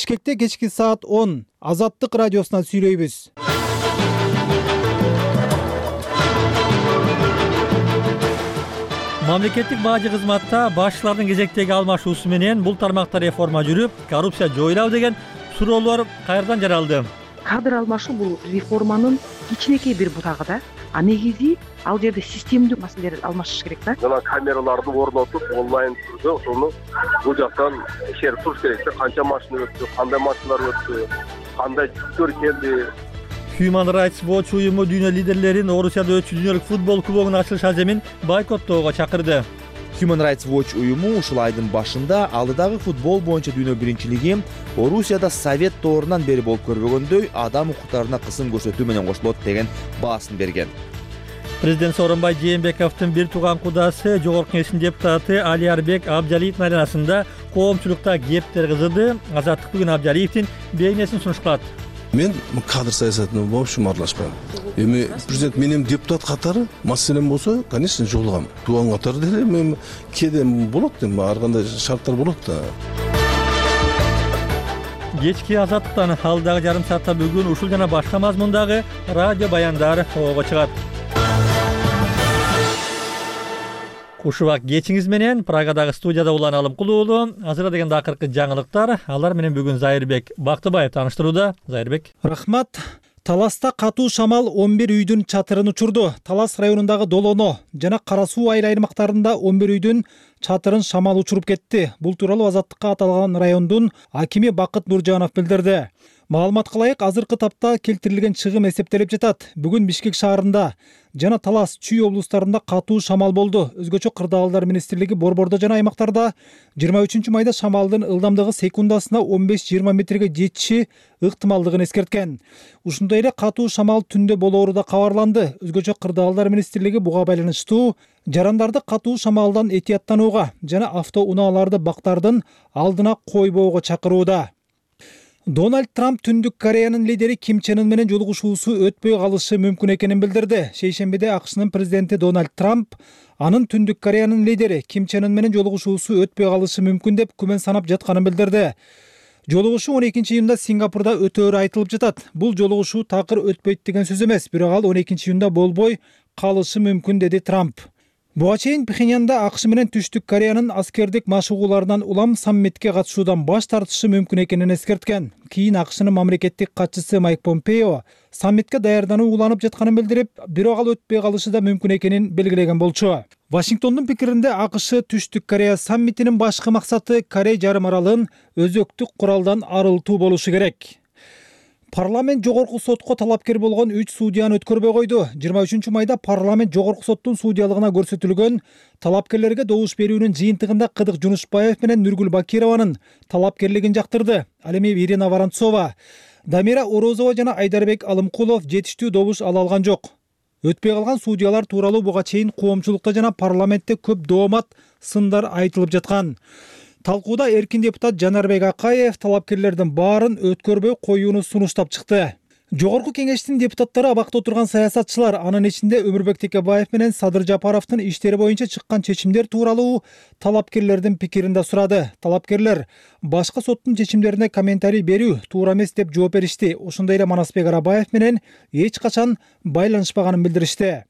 Бишкекте кечки саат 10 Азаттык радиосунан сүйлөйбүз. Мамлекеттик бажы кызматта башчылардын кезектеги алмашуусу менен бул тармакта реформа жүрүп, коррупция жоюлабы деген суроолор кайрадан жаралды. Кадр алмашуу бул реформанын кичинекей бир бутагы да. А негизи ал жерде системдүү маселелер алмашыш керек да. Жана камераларды орнотуп, онлайн түрдө ошону бул жактан текшерип туруш керек да. Канча машина өттү, кандай машиналар өттү, кандай жүктөр келди. Human Rights Watch уюму дүйнө лидерлерин Орусияда өтчү дүйнөлүк футбол кубогунун ачылыш аземин бойкоттоого чакырды. Human Rights Watch уюму ушул айдын башында алдыдагы футбол боюнча дүйнө биринчилиги Орусияда Совет доорунан бери болуп көрбөгөндөй адам укуктарына кысым көрсөтүү менен кошулот деген баасын берген. Президент Сооронбай Жээнбековдун бир тууган кудасы Жогорку Кеңештин депутаты Алиарбек Абджалиевдин айланасында коомчулукта кептер кызыды. Азаттык бүгүн Абджалиевдин бейнесин сунушталат. Мен кадр саясатына вообще аралашпайм. Эми президент менин депутат катары маселем болсо, конечно, жолугам. Тууган катары деле мен кедем болот, ар кандай шарттар болот да. Кечки Азаттыктан алдагы жарым саатта бүгүн ушул жана башка мазмундагы радио баяндар ого чыгат. Кушубак кечиңиз менен Прагадагы студияда Улан Алымкул уулу. Азыр дегенде акыркы жаңылыктар. Алар менен бүгүн Зайырбек Бактыбаев тааныштырууда. Зайырбек. Рахмат. Таласта катуу шамал 11 үйдүн чатырын учурду. Талас районундагы Долоно жана Кара суу айыл аймактарында 11 үйдүн чатырын шамал учуруп кетти. Бул тууралуу Азаттыкка аталган райондун акими Бакыт Нуржанов билдирди. Маалыматка ылайык азыркы тапта келтирилген чыгым эсептелип жатат. Бүгүн Бишкек шаарында жана Талас, Чүй облустарында катуу шамал болду. Өзгөчө Кырдаалдар министрлиги борбордо жана аймактарда 23 майда шамалдын ылдамдыгы секундасына 15-20 метрге жетиши ыктымалдыгын эскерткен. Ушундай эле катуу шамал түндө болоору да кабарланды. Өзгөчө Кырдаалдар министрлиги буга байланыштуу жарандарды катуу шамалдан этияттанууга жана автоунааларды бактардын алдына койбоого чакырууда. Дональд Трамп Түндүк Кореянын лидери Ким Чен Ын менен жолугушуусу өтпөй калышы мүмкүн экенин билдирди. Шейшембиде АКШнын президенти Дональд Трамп анын Түндүк Кореянын лидери Ким Чен Ын менен жолугушуусу өтпөй калышы мүмкүн деп күмөн санап жатканын билдирди. Жолугушуу 12-июнда Сингапурда өтөөрү айтылып жатат. Бул жолугушуу такыр өтпөйт деген сөз эмес, бирок ал 12-июнда болбой калышы мүмкүн, деди Трамп. Буга чейин Пхеньянда АКШ менен Түштүк Кореянын аскердик машыгууларынан улам саммитке катышуудан баш тартышы мүмкүн экенин эскерткен. Кийин АКШнын мамлекеттик катчысы Майк Помпео саммитке даярдануу уланып жатканын билдирип, бирок ал өтпөй калышы да мүмкүн экенин белгилеген болчу. Вашингтондун пикиринде АКШ Түштүк Корея саммитинин башкы максаты Корей жарым аралын өзөктүк куралдан арылтуу болушу керек. Парламент жогорку сотко талапкер болгон 3 судьяны өткөрбөй койду. 23 майда парламент жогорку соттун судьялыгына көрсөтүлгөн талапкерлерге добуш берүүнүн жыйынтыгында Кыдык Жунушбаев менен Нургүл Бакированын талапкерлигин жактырды. Ал эми Ирина Воронцова, Дамира Орозова жана Айдарбек Алымкулов жетиштүү добуш ала алган жок. Өтпөй калган судьялар тууралуу буга чейин коомчулукта жана парламентте көп доомат сындар айтылып жаткан. Талкууда эркин депутат Жанарбек Акаев талапкерлердин баарын өткөрбөй коюуну сунуштап чыкты. Жогорку кеңештин депутаттары абакта отурган саясатчылар, анын ичинде Өмүрбек Текебаев менен Садыр Жапаровдун иштери боюнча чыккан чечимдер тууралуу талапкерлердин пикирин да сурады. Талапкерлер башка соттун чечимдерине комментарий берүү туура эмес деп жооп беришти. Ошондой эле Манасбек Арабаев менен эч качан байланышпаганын билдиришти.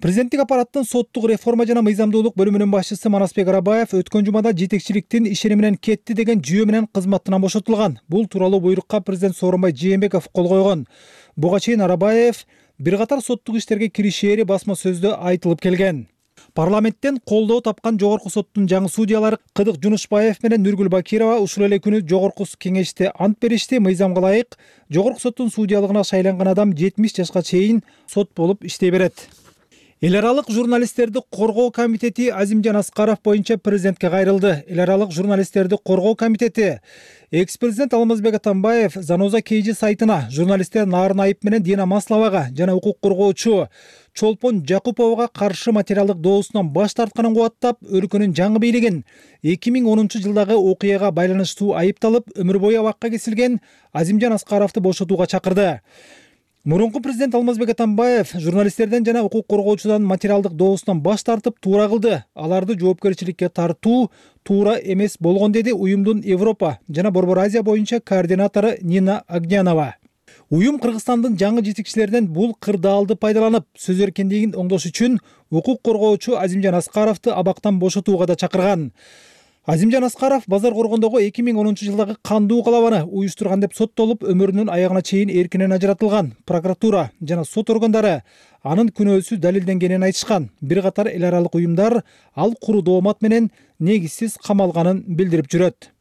Президенттик аппараттын соттук реформа жана мыйзамдуулук бөлүмүнүн башчысы Манасбек Арабаев өткөн жумада жетекчиликтин ишени менен кетти деген жүйө менен кызматтан бошотулган. Бул тууралуу буйрукка президент Сооронбай Жээнбеков кол койгон. Буга чейин Арабаев бир катар соттук иштерге киришери басма сөздө айтылып келген. Парламенттен колдоо тапкан жогорку соттун жаңы судьялары Кыдык Жунушбаев менен Нургүл Бакирова ушул эле күнү жогорку кеңеште ант беришти. Мыйзамга ылайык жогорку соттун судьялыгына шайланган адам 70 жашка чейин сот болуп иштей берет. Эл аралык журналисттерди коргоо комитети Азимжан Аскаров боюнча президентке кайрылды. Эл аралык журналисттерди коргоо комитети экс-президент Алмазбек Атамбаев Заноза Кейжи сайтына журналисттер Нарын Айып менен Дина Масловага жана укук коргоочу Чолпон Жакуповага каршы материалдык доосунан баш тартканын кубаттап, өлкөнүн жаңы бийлигин 2010-жылдагы окуяга байланыштуу айыпталып өмүр бою абакка кесилген Азимжан Аскаровду бошотууга чакырды. Мурунку президент Алмазбек Атамбаев журналисттерден жана укук коргоочудан материалдык добустан баш тартып туура кылды. Аларды жоопкерчиликке тартуу туура эмес болгон, деди уюмдун Европа жана Борбор Азия боюнча координатору Нина Огнянова. Уюм Кыргызстандын жаңы жетекчилеринен бул кырдаалды пайдаланып, сөз эркиндигин оңдош үчүн укук коргоочу Азимжан Аскаровду абактан бошотууга да чакырган. Азимжан Аскаров Базар Коргондогу 2010 жылдагы кандуу калабаны уюштурган деп соттолуп, өмүрүнүн аягына чейин эркинен ажыратылган. Прокуратура жана сот органдары анын күнөөсү далилденгенин айтышкан. Бир катар эл аралык уюмдар ал куру доомат менен негизсиз камалганын билдирип жүрөт.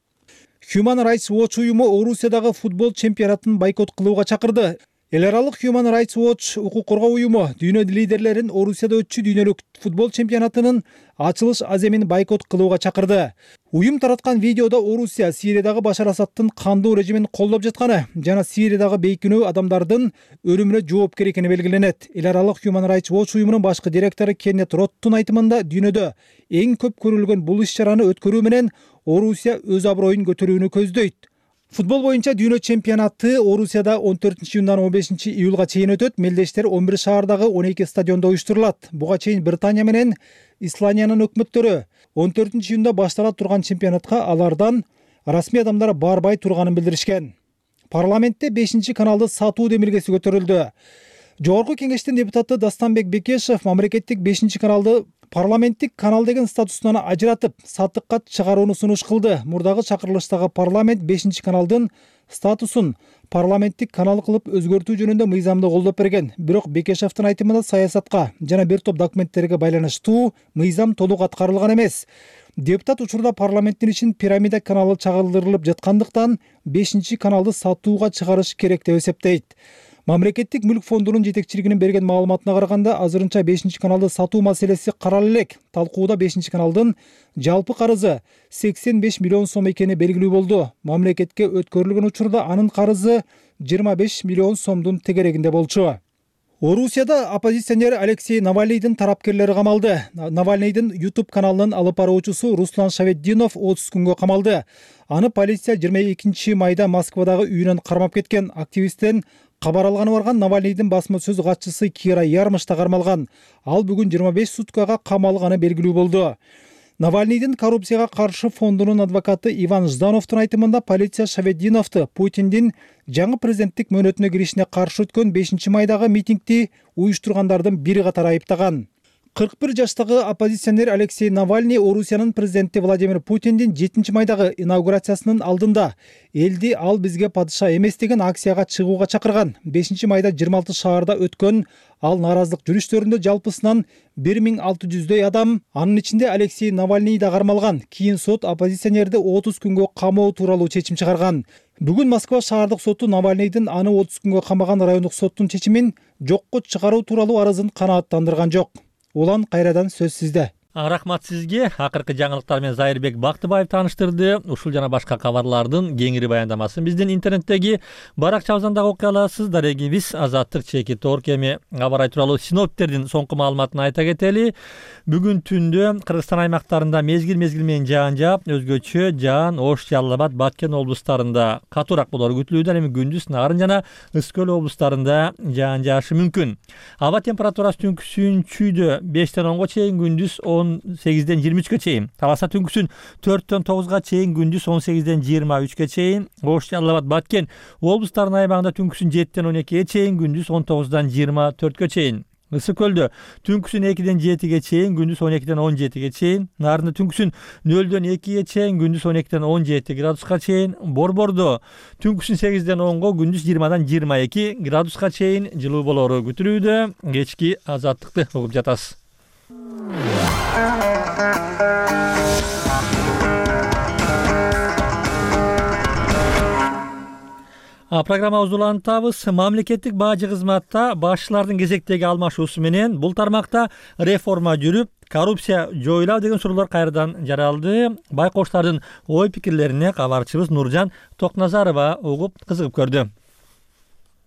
Human Rights Watch уюму Орусиядагы футбол чемпионатын бойкот кылууга чакырды. Эл аралык Human Rights Watch укук коргоо уюму дүйнө лидерлерин Орусияда өтчү дүйнөлүк футбол чемпионатынын ачылыш аземин бойкот кылууга чакырды. Уюм тараткан видеодо Орусия Сириядагы Башар Асадтын кандуу режимин колдоп жатканы жана Сириядагы бейкүнөө адамдардын өлүмүнө жоопкер экени белгиленет. Эл аралык Human Rights Watch уюмунун башкы директору Кеннет Роттун айтымында дүйнөдө эң көп көрүлгөн бул иш-чараны өткөрүү менен Орусия өз аброюн көтөрүүнү көздөйт. Футбол боюнча дүйнө чемпионаты Орусияда 14-июндан 15-июлга чейин өтөт. Мелдештер 11 шаардагы 12 стадиондо уюштурулат. Буга чейин Британия менен Исландиянын өкмөттөрү 14-июнда баштала турган чемпионатка алардан расмий адамдар барбай турганын билдиришкен. Парламентте 5-каналды сатуу демилгеси көтөрүлдү. Жогорку кеңештин депутаты Дастанбек Бекешев мамлекеттик 5-каналды парламенттик канал деген статусунан ажыратып, сатыкка чыгарууну сунуш кылды. Мурдагы чакырылыштагы парламент 5-каналдын статусун парламенттик канал кылып өзгөртүү жөнүндө мыйзамды колдоп берген. Бирок Бекешевдин айтымында саясатка жана бир топ документтерге байланыштуу мыйзам толук аткарылган эмес. Депутат учурда парламенттин ишин пирамида каналы чагылдырылып жаткандыктан 5-каналды сатууга чыгарыш керек деп эсептейт. Мамлекеттик мүлк фондунун жетекчилигинин берген маалыматына караганда, азырынча 5-каналды сатуу маселеси каралып элек. Талкууда 5-каналдын жалпы карызы 85 миллион сом экени белгилүү болду. Мамлекетке өткөрүлгөн учурда анын карызы 25 миллион сомдун тегерегинде болчу. Орусияда оппозиционер Алексей Навальныйдын тарапкерлери камалды. Навальныйдын YouTube каналынын алып баруучусу Руслан Шаветдинов 30 күнгө камалды. Аны полиция 22 майда Москвадагы үйүнөн кармап кеткен. Активисттен кабар алганы барган Навальныйдын басма сөз катчысы Кира Ярмыш да кармалган. Ал бүгүн 25 суткага камалганы белгилүү болду. Навальныйдын коррупцияга каршы фондунун адвокаты Иван Ждановдун айтымында полиция Шаветдиновду Путиндин жаңы президенттик мөөнөтүнө киришине каршы өткөн 5-майдагы митингди уюштургандардын бири катары айыптаган. 41 жаштагы оппозиционер Алексей Навальный Орусиянын президенти Владимир Путиндин 7-майдагы инаугурациясынын алдында элди ал бизге падыша эмес деген акцияга чыгууга чакырган. 5-майда 26 шаарда өткөн ал нааразылык жүрүштөрүндө жалпысынан 1600дөй адам, анын ичинде Алексей Навальный да кармалган. Кийин сот оппозиционерди 30 күнгө камоо тууралуу чечим чыгарган. Бүгүн Москва шаардык соту Навальныйдын аны 30 күнгө камаган райондук соттун чечимин жокко чыгаруу тууралуу арызын канааттандырган жок. Улан кайрадан сөз сизде. Рахмат сизге. Акыркы жаңылыктар менен Зайырбек Бактыбаев тааныштырды. Ушул жана башка кабарлардын кеңири баяндамасын биздин интернеттеги баракчабыздан дагы окуй аласыз. Дарегибиз Азаттык чекит орг. Эми кабар тууралуу синоптиктердин соңку маалыматын айта кетели. Бүгүн түндө Кыргызстан аймактарында мезгил менен жаан жаап, өзгөчө жаан Ош, Жалал Абад, Баткен облустарында катуураак болору күтүлүүдө. Эми күндүз Нарын жана Ысык көл облустарында жаан жаашы мүмкүн. Аба температурасы түнкүсүн чүйдө 5-тен 10го чейин, күндүз 18-ден 23-кө чейин. Таласа түнкүсүн 4-тен 9га чейин, күндүз 18-ден 23-кө чейин. Ош, Жалал Абад, Баткен облустарынын аймагында түнкүсүн 7-тен 12-ге чейин, күндүз 19-дан 24-кө чейин. Ысык көлдө түнкүсүн 2-ден 7-ге чейин, күндүз 12-ден 17-ге чейин. Нарында түнкүсүн 0-дөн 2-ге чейин, күндүз 12-ден 17 градуска чейин. Борбордо түнкүсүн 8-ден 10-го, күндүз 20-дан 22 градуска чейин жылуу болору күтүлүүдө. Кечки азаттыкты угуп жатасыз. Программабызды улантабыз. Мамлекеттик бажы кызматта башчылардын кезектеги алмашуусу менен бул тармакта реформа жүрүп, коррупция жоюлабы деген суроолор кайрадан жаралды. Байкоштардын ой пикирлерине кабарчыбыз Нуржан Токназарова угуп кызыгып көрдү.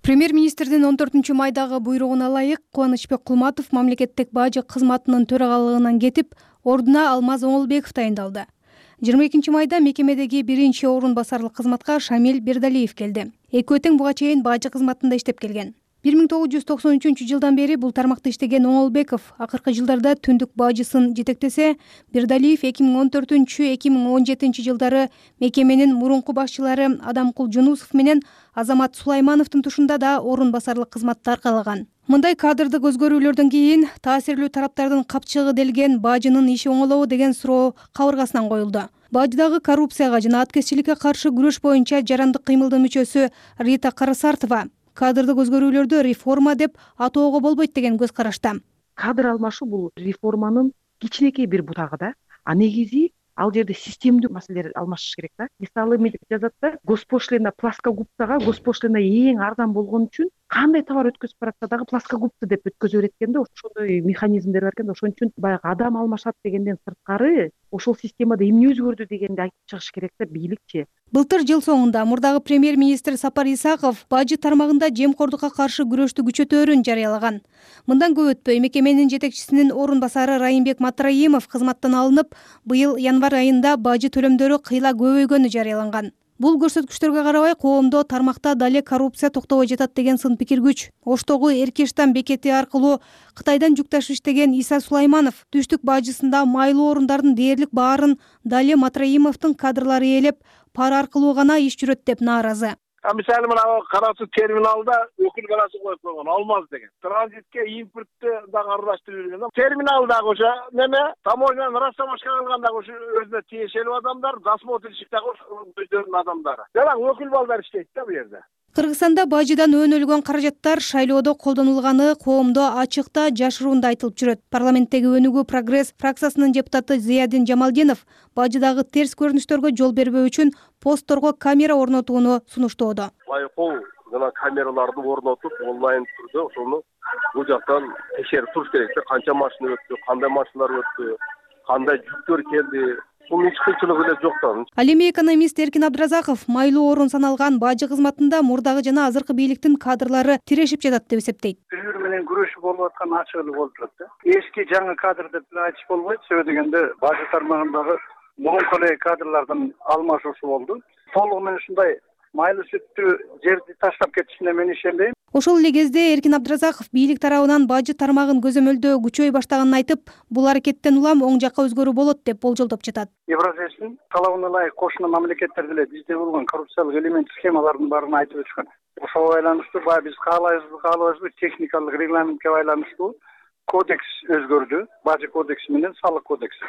Премьер-министрдин 14-майдагы буйругуна ылайык Кубанычбек Кулматов мамлекеттик бажы кызматынын төрагалыгынан кетип, ордуна Алмаз Оңолбеков тайындалды. 22-майда мекемедеги орун басарлык кызматка Шамил Бердалиев келди. Экөө тең буга чейин бажы кызматында иштеп келген. 1993-жылдан бери бул тармакта иштеген Оңолбеков акыркы жылдарда түндүк бажысын жетектесе, Бердалиев 2014-2017 жылдары мекеменин мурунку башчылары Адамкул Жунусов менен Азамат Сулаймановдун тушунда да орун басарлык кызматты аркалаган. Мындай кадрдык өзгөрүүлөрдөн кийин таасирлүү тараптардын капчыгы делген бажынын иши оңолобу деген суроо кабыргасынан коюлду. Бажыдагы коррупцияга жана аткезчиликке каршы күрөш боюнча жарандык кыймылдын мүчөсү Рита Карасартова кадрдык өзгөрүүлөрдү реформа деп атоого болбойт деген көз карашта. Кадр алмашуу бул реформанын кичинекей бир бутагы да. А негизи ал жерде системдүү маселелер алмашыш керек да. Мисалы эмне деп жазат да, госпошлина плоскогубцага госпошлина эң арзан болгон үчүн кандай товар өткөзүп баратса дагы плоскогубцы деп өткөзө берет экен да. Ошондой механизмдер бар экен да. Ошон үчүн баягы адам алмашат дегенден сырткары ошол системада эмне өзгөрдү дегенди айтып чыгыш керек да бийликчи. Былтыр жыл соңунда мурдагы премьер-министр Сапар Исаков бажы тармагында жемкордукка каршы күрөштү күчөтөөрүн жарыялаган. Мындан көп өтпөй мекеменин жетекчисинин орун басары Райымбек Матраимов кызматтан алынып, быйыл январь айында бажы төлөмдөрү кыйла көбөйгөнү жарыяланган. Бул көрсөткүчтөргө карабай коомдо тармакта дале коррупция токтобой жатат деген сын пикир күч. Оштогу Эркештан бекети аркылуу Кытайдан жүк ташып иштеген Иса Сулайманов түштүк бажысында майлуу орундардын дээрлик баарын дале Матраимовдун кадрлары ээлеп, пара аркылуу гана иш жүрөт деп нааразы. Мисалы мына Кара Суу терминалда өкүл баласы коюп койгон Алмаз деген. Транзитке импортты дагы аралаштырып жүргөн. Терминалдагы ошо неме таможняны расчамашка кылганда ошо өзүнө тиешелүү адамдар, досмотрщик дагы өздөрүнүн адамдары. Жана өкүл балдар иштейт да бу жерде. Кыргызстанда бажыдан өнүлгөн каражаттар шайлоодо колдонулганы коомдо ачыкта жашыруунда айтылып жүрөт. Парламенттеги Өнүгүү Прогресс фракциясынын депутаты Зиядин Жамалдинов бажыдагы терс көрүнүштөргө жол бербөө үчүн постторго камера орнотууну сунуштоодо. Байкоо жана камераларды орнотуп онлайн түрдө ошону бул жактан текшерип туруш керек да, канча машина өттү, кандай машиналар өттү, кандай жүктөр келди. Бул эч кыйынчылыгы эле жок да. Ал эми экономист Эркин Абдыразаков майлуу орун саналган бажы кызматында мурдагы жана азыркы бийликтин кадрлары тирешип жатат деп эсептейт. Бири-бири менен күрөшүп болуп аткан ачык эле болуп турат да. Эски жаңы кадр деп айтыш болбойт. Себеби дегенде бажы тармагындагы мурунку эле кадрлардын алмашуусу болду. Толугу менен ушундай майлуу сүттүү жерди таштап кетишине мен ишенбейм. Ошол эле кезде Эркин Абдыразаков бийлик тарабынан бажы тармагын көзөмөлдөө күчөй баштаганын айтып, бул аракеттен улам оң жакка өзгөрүү болот деп болжолдоп жатат. Евразиянын талабына ылайык кошуна мамлекеттер деле бизде болгон коррупциялык элемент схемалардын баарын айтып өтүшкөн. Ошого байланыштуу баягы биз каалайбызбы техникалык регламентке байланыштуу кодекс өзгөрдү. Бажы кодекси менен салык кодекси.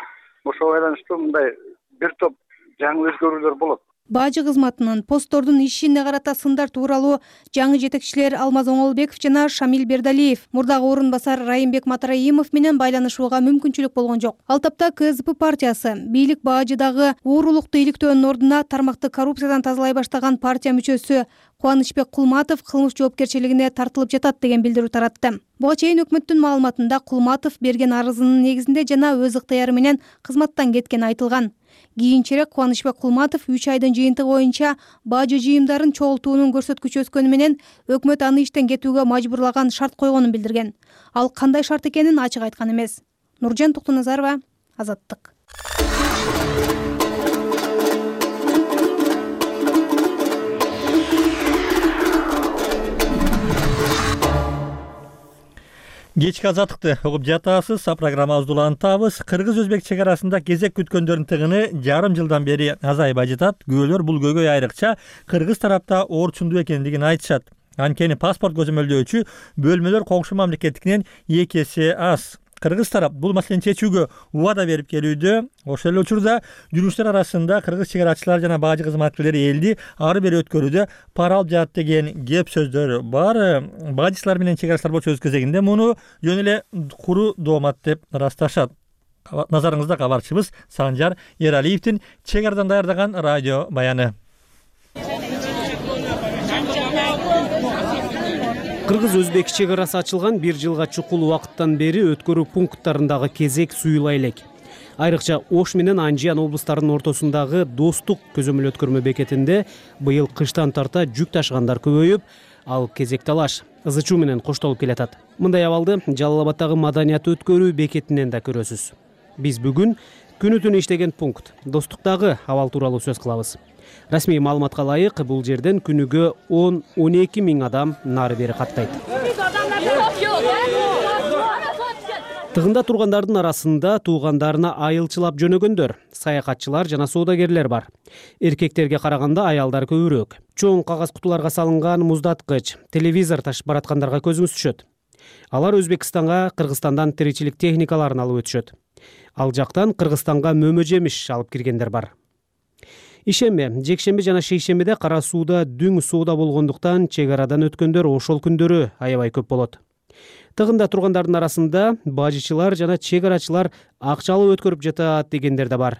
Ошого байланыштуу мындай бир топ жаңы өзгөрүүлөр болот. Бажы кызматынын посттордун ишине карата сындар тууралуу жаңы жетекчилер Алмаз Оңолбеков жана Шамил Бердалиев мурдагы орун басар Райымбек Матраимов менен байланышууга мүмкүнчүлүк болгон жок. Ал тапта КСДП партиясы бийлик бажыдагы уурулукту иликтөөнүн ордуна тармакты коррупциядан тазалай баштаган партия мүчөсү Кубанычбек Кулматов кылмыш жоопкерчилигине тартылып жатат деген билдирүү таратты. Буга чейин өкмөттүн маалыматында Кулматов берген арызынын негизинде жана өз ыктыяры менен кызматтан кеткени айтылган. Кийинчерээк Кубанычбек Кулматов 3 айдын жыйынтыгы боюнча бажы жыйымдарын чогултуунун көрсөткүчү өскөнү менен өкмөт аны иштен кетүүгө мажбурлаган шарт койгонун билдирген. Ал кандай шарт экенин ачык айткан эмес. Нуржан Токтоназарова, Азаттык. Кечки Азаттыкты угуп жатасыз. Программабызды улантабыз. Кыргыз-өзбек чек арасында кезек күткөндөрдүн тыгыны жарым жылдан бери азайбай жатат. Күбөлөр бул көйгөй айрыкча кыргыз тарапта орчундуу экендигин айтышат. Анткени паспорт көзөмөлдөөчү бөлмөлөр коңшу мамлекеттикинен 2 эсе аз. Кыргыз тарап бул маселени чечүүгө убада берип келүүдө. Ошол эле учурда жүргүчүлөр арасында кыргыз чек арачылар жана бажы кызматкерлери элди ары бери өткөрүүдө пара алып жатат деген кеп сөздөр бар. Бажычылар менен чек арачылар болчу өз кезегинде муну жөн эле куру доомат деп ырасташат. Назарыңызда кабарчыбыз Санжар Эралиевдин чек арадан даярдаган радио баяны. Кыргыз-өзбек чек арасы ачылган 1 жылга чукул убакыттан бери өткөрүү пункттарындагы кезек суюла элек. Айрыкча Ош менен Анжиян облустарынын ортосундагы Достук көзөмөл өткөрмө бекетинде быйыл кыштан тарта жүк ташыгандар көбөйүп, ал кезек талаш ызы чуу менен коштолуп келатат. Мындай абалды Жалал Абаддагы маданият өткөрүү бекетинен да көрөсүз. Биз бүгүн күнү түнү иштеген пункт Достуктагы абал тууралуу сөз кылабыз. Расмий маалыматка ылайык бул жерден күнүгө 10-12 миң адам нары бери каттайт. Тыгында тургандардын арасында туугандарына айылчылап жөнөгөндөр, саякатчылар жана соодагерлер бар. Эркектерге караганда аялдар көбүрөөк. Чоң кагаз кутуларга салынган муздаткыч, телевизор ташып бараткандарга көзүңүз түшөт. Алар Өзбекстанга Кыргызстандан тиричилик техникаларын алып өтүшөт. Ал жактан Кыргызстанга мөмө жемиш алып киргендер бар. Ишемби, жекшемби жана шейшембиде Кара сууда дүң соода болгондуктан чек арадан өткөндөр ошол күндөрү аябай көп болот. Тыгында тургандардын арасында бажычылар жана чек арачылар акчалуу өткөрүп жатат дегендер да бар.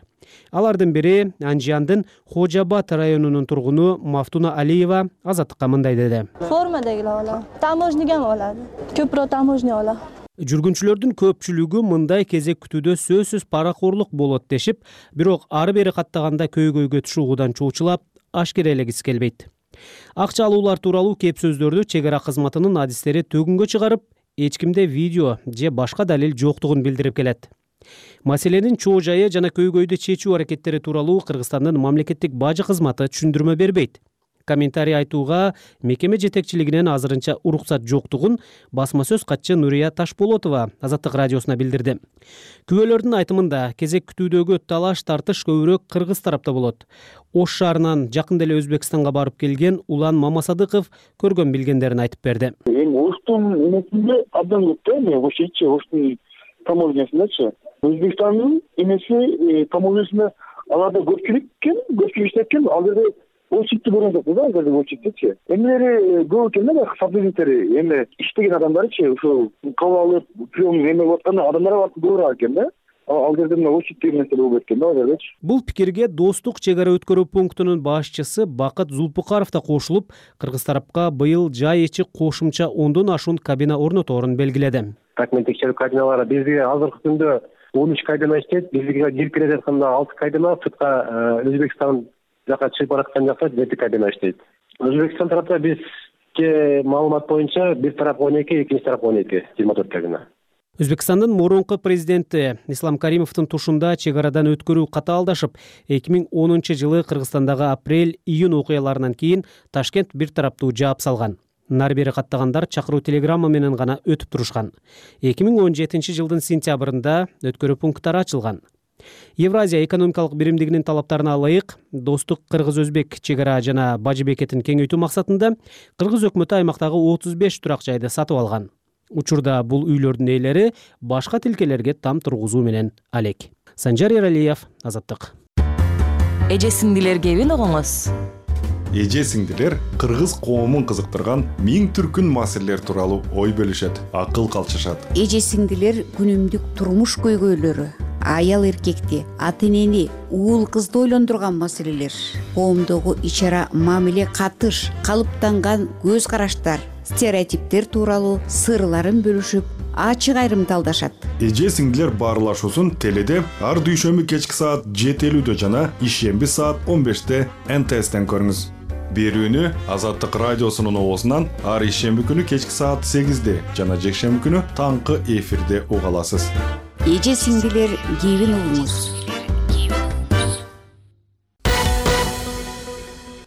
Алардын бири Анжияндын Хожа Абад районунун тургуну Мафтуна Алиева Азаттыкка мындай деди. Формадагилер алат, таможнигам алат. Көпүрөөк таможня алат. Жүргүнчүлөрдүн көпчүлүгү мындай кезек күтүүдө сөзсүз паракорлук болот дешип, бирок ары бери каттаганда көйгөйгө түшүүгүдан чоочулап, ашкерелегиси келбейт. Акча алуулар тууралуу кеп сөздөрдү чек ара кызматынын адистери төгүнгө чыгарып, эч кимде видео же башка далил жоктугун билдирип келет. Маселенин чоо жайы жана көйгөйдү чечүү аракеттери тууралуу Кыргызстандын мамлекеттик бажы кызматы түшүндүрмө бербейт. Комментарий айтууга мекеме жетекчилигинен азырынча уруксат жоктугун басма сөз катчы Нурия Ташполотова Азаттык радиосуна билдирди. Күбөлөрдүн айтымында кезек күтүүдөгү талаш тартыш көбүрөөк кыргыз тарапта болот. Ош шаарынан жакында эле Өзбекстанга барып келген Улан Мамасадыков көргөн билгендерин айтып берди. Оштун эмесинде абдан көп да, Ошчу, Оштун таможнясындачы. Өзбекстандын эмеси таможнясында аларда көпчүлүк иштеткен, ал жерде очитти көргөн жокпуз да, азыр очиттичи. Эмелери көп экен да, сотрудниктери, эме иштеген адамдарычы, ошол кабыл алып, прием эме аткан адамдар бар көбүрөөк экен да. Ал жерде мына очитти нерсе болуп кеткен да, азырчы. Бул пикирге Достук чек ара өткөрүү пунктунун башчысы Бакыт Зулпукаров да кошулуп, кыргыз тарапка быйыл жай ичи кошумча 10дон ашуун кабина орноторун белгиледи. Документ текшерүү кабиналары бизге азыркы күндө 13 кабина иштейт, бизге кирип келе жатканда 6 кабина, сыртка Өзбекстан жака чыгып бараткан жакта 7 кабина иштейт. Өзбекстан тарапта бизге маалымат боюнча бир тарап 12, экинчи тарап 12, 24 кабина. Өзбекстандын мурунку президенти Ислам Каримовдун тушунда чек арадан өткөрүү катаалдашып, 2010 жылы Кыргызстандагы апрель-июнь окуяларынан кийин Ташкент бир тараптуу жаап салган. Нары бери каттагандар чакыруу телеграмма менен гана өтүп турушкан. 2017 жылдын сентябрында өткөрүү пункттары ачылган. Евразия экономикалык биримдигинин талаптарына ылайык Достук Кыргыз-Өзбек чек ара жана бажы бекетин кеңейтүү максатында Кыргыз өкмөтү аймактагы 35 турак жайды сатып алган. Учурда бул үйлөрдүн ээлери башка тилкелерге там тургузуу менен алек. Санжар Эралиев, Азаттык. Эже сиңдилер кебин угуңуз. Эже сиңдилер кыргыз коомун кызыктырган миң түркүн маселелер тууралуу ой бөлүшөт, акыл калчышат. Эже сиңдилер күнүмдүк турмуш көйгөйлөрү, аял эркекти, ата энени, уул кызды ойлондурган маселелер, коомдогу ич ара мамиле катыш, калыптанган көз караштар, стереотиптер тууралуу сырларын бөлүшүп, ачык айрымдалдашат. Эже сиңдилер баарлашуусун теледе ар дүйшөмбү кечки саат 7:50 жана ишемби саат 15-те НТСтен көрүңүз. Берүүнү Азаттык радиосунун оозунан ар ишемби күнү кечки саат 8-де жана жекшемби күнү таңкы эфирде уга аласыз. Эже сиңдилер кебин угуңуз.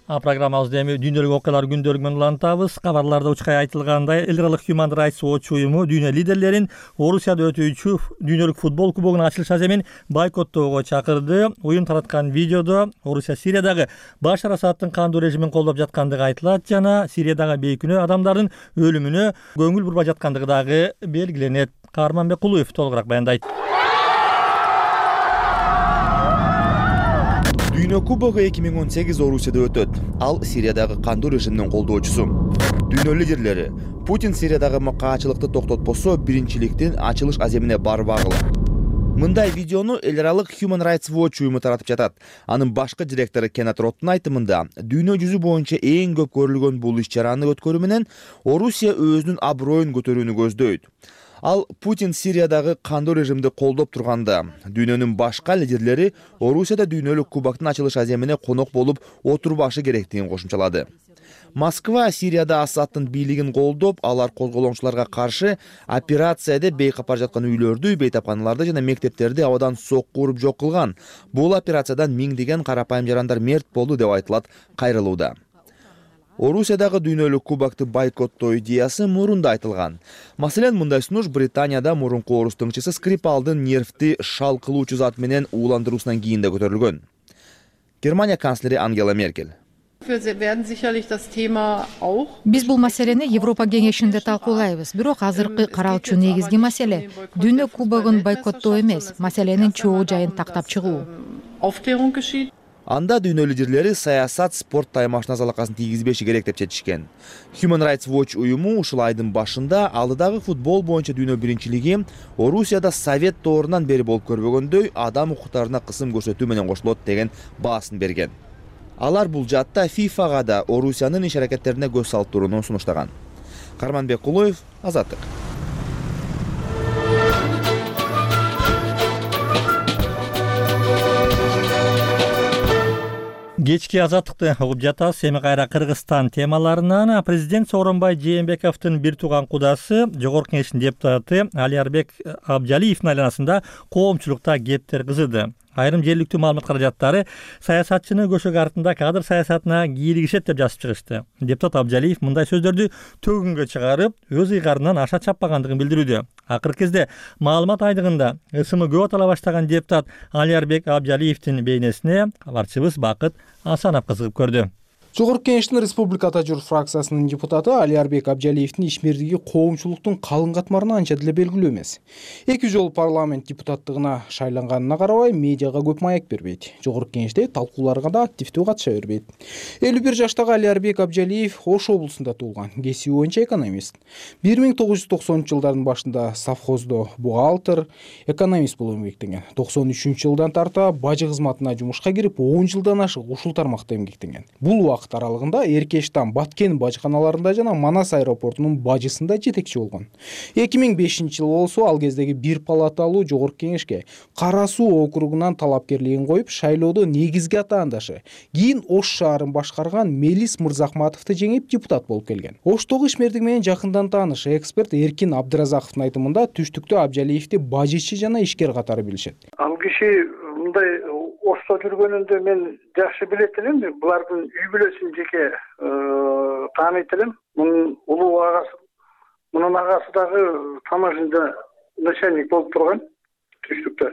Программабызды эми дүйнөлүк окуялар күндөлүгү менен улантабыз. Кабарларда учкай айтылгандай, эл аралык Human Rights Watch уюму дүйнө лидерлерин Орусияда өтүүчү дүйнөлүк футбол кубогунун ачылыш аземин бойкоттоого чакырды. Уюм тараткан видеодо Орусия Сириядагы Башар Асадтын кандуу режимин колдоп жаткандыгы айтылат жана Сириядагы бейкүнөө адамдардын өлүмүнө көңүл бурбай жаткандыгы дагы белгиленет. Карманбек Кулуев толугураак баяндайт. Дүйнө кубогу 2018 Орусияда өтөт. Ал Сириядагы кандуу режимдин колдоочусу. Дүйнө лидерлери Путин Сириядагы макаачылыкты токтотпосо биринчиликтин ачылыш аземине барбагыла. Мындай видеону эл аралык Human Rights Watch уюму таратып жатат. Анын башкы директору Кенат Роттун айтымында, дүйнө жүзү боюнча эң көп көрүлгөн бул иш-чараны өткөрүү менен Орусия өзүнүн аброюн көтөрүүнү көздөйт. Ал Путин Сириядагы кандуу режимди колдоп турганда, дүйнөнүн башка лидерлери Орусияда дүйнөлүк кубоктун ачылыш аземине конок болуп отурбашы керектигин кошумчалады. Москва Сирияда Асадтын бийлигин колдоп, алар козголоңчуларга каршы операцияда бейкапар жаткан үйлөрдү, бейтапканаларды жана мектептерди абадан сокку уруп жок кылган. Бул операциядан миңдеген карапайым жарандар мерт болду деп айтылат кайрылууда. Орусиядагы дүйнөлүк кубокты бойкоттоо идеясы мурунда айтылган. Маселен, мындай сунуш Британияда мурунку орус тыңчысы Скрипалдын нервти шал кылуучу зат менен ууландыруусунан кийин да көтөрүлгөн. Германия канцлери Ангела Меркель: Биз бул маселени Европа кеңешинде талкуулайбыз. Бирок азыркы каралчу негизги маселе дүйнө кубогун бойкоттоо эмес, маселенин чогуу жайын тактап чыгуу. Анда дүйнө лидерлери саясат спорт таймашына залакасын тийгизбеши керек деп чечишкен. Human Rights Watch уюму ушул айдын башында алдыдагы футбол боюнча дүйнө биринчилиги Орусияда Совет доорунан бери болуп көрбөгөндөй адам укуктарына кысым көрсөтүү менен кошулот деген баасын берген. Алар бул жаатта ФИФАга да Орусиянын иш аракеттерине көз салып турууну сунуштаган. Карманбек Кулоев, Азаттык. Кечки Азаттыкты угуп жатабыз. Эми кайра Кыргызстан темаларынан. Президент Сооронбай Жээнбековдун бир тууган кудасы, Жогорку Кеңештин депутаты Алиярбек Абжалиевдин айланасында коомчулукта кептер кызыды. Айрым жергиликтүү маалымат каражаттары саясатчыны көшөк артында кадр саясатына кийлигишет деп жазып чыгышты. Депутат Абжалиев мындай сөздөрдү төгүнгө чыгарып, өз ыйгарынан аша чаппагандыгын билдирүүдө. Акыркы кезде маалымат айдыгында ысымы көп атала баштаган депутат Алиярбек Абжалиевдин бейнесине кабарчыбыз Бакыт Асанов кызыгып көрдү. Жогорку Кеңештин Республикада журт фракциясынын депутаты Алиярбек Абжалиевдин ишмердиги коомчулуктун калың катмарына анча деле белгилүү эмес. 2 жолу парламент депутаттыгына шайланганына карабай, медиага көп маек бербейт. Жогорку Кеңеште талкууларга да активдүү катыша бербейт. 51 жаштагы Алиярбек Абжалиев Ош облусунда туулган, кесиби боюнча экономист. 1990-жылдардын башында совхоздо бухгалтер, экономист болуп эмгектенген. 93-жылдан тарта бажы кызматына жумушка кирип, 10 жылдан ашык ушул тармакта эмгектенген. Бул вакыт аралыгында Эркештан, Баткен бажыканаларында жана Манас аэропортунун бажысында жетекчи болгон. 2005-жылы болсо ал кездеги бир палаталуу Жогорку Кеңешке Кара Суу округунан талапкерлигин коюп, шайлоодо негизги атаандашы, кийин Ош шаарын башкарган Мелис Мырзахматовду жеңип депутат болуп келген. Оштогу ишмердиги менен жакындан тааныш эксперт Эркин Абдыразаковдун айтымында түштүктө Абжалиевди бажычы жана ишкер катары билишет. Ал киши мындай Ошто жүргөнүндө мен жакшы билет элем. Булардын үй бүлөсүн жеке тааныйт элем. Мунун улуу агасы, мунун агасы дагы таможняда начальник болуп турган түштүктө.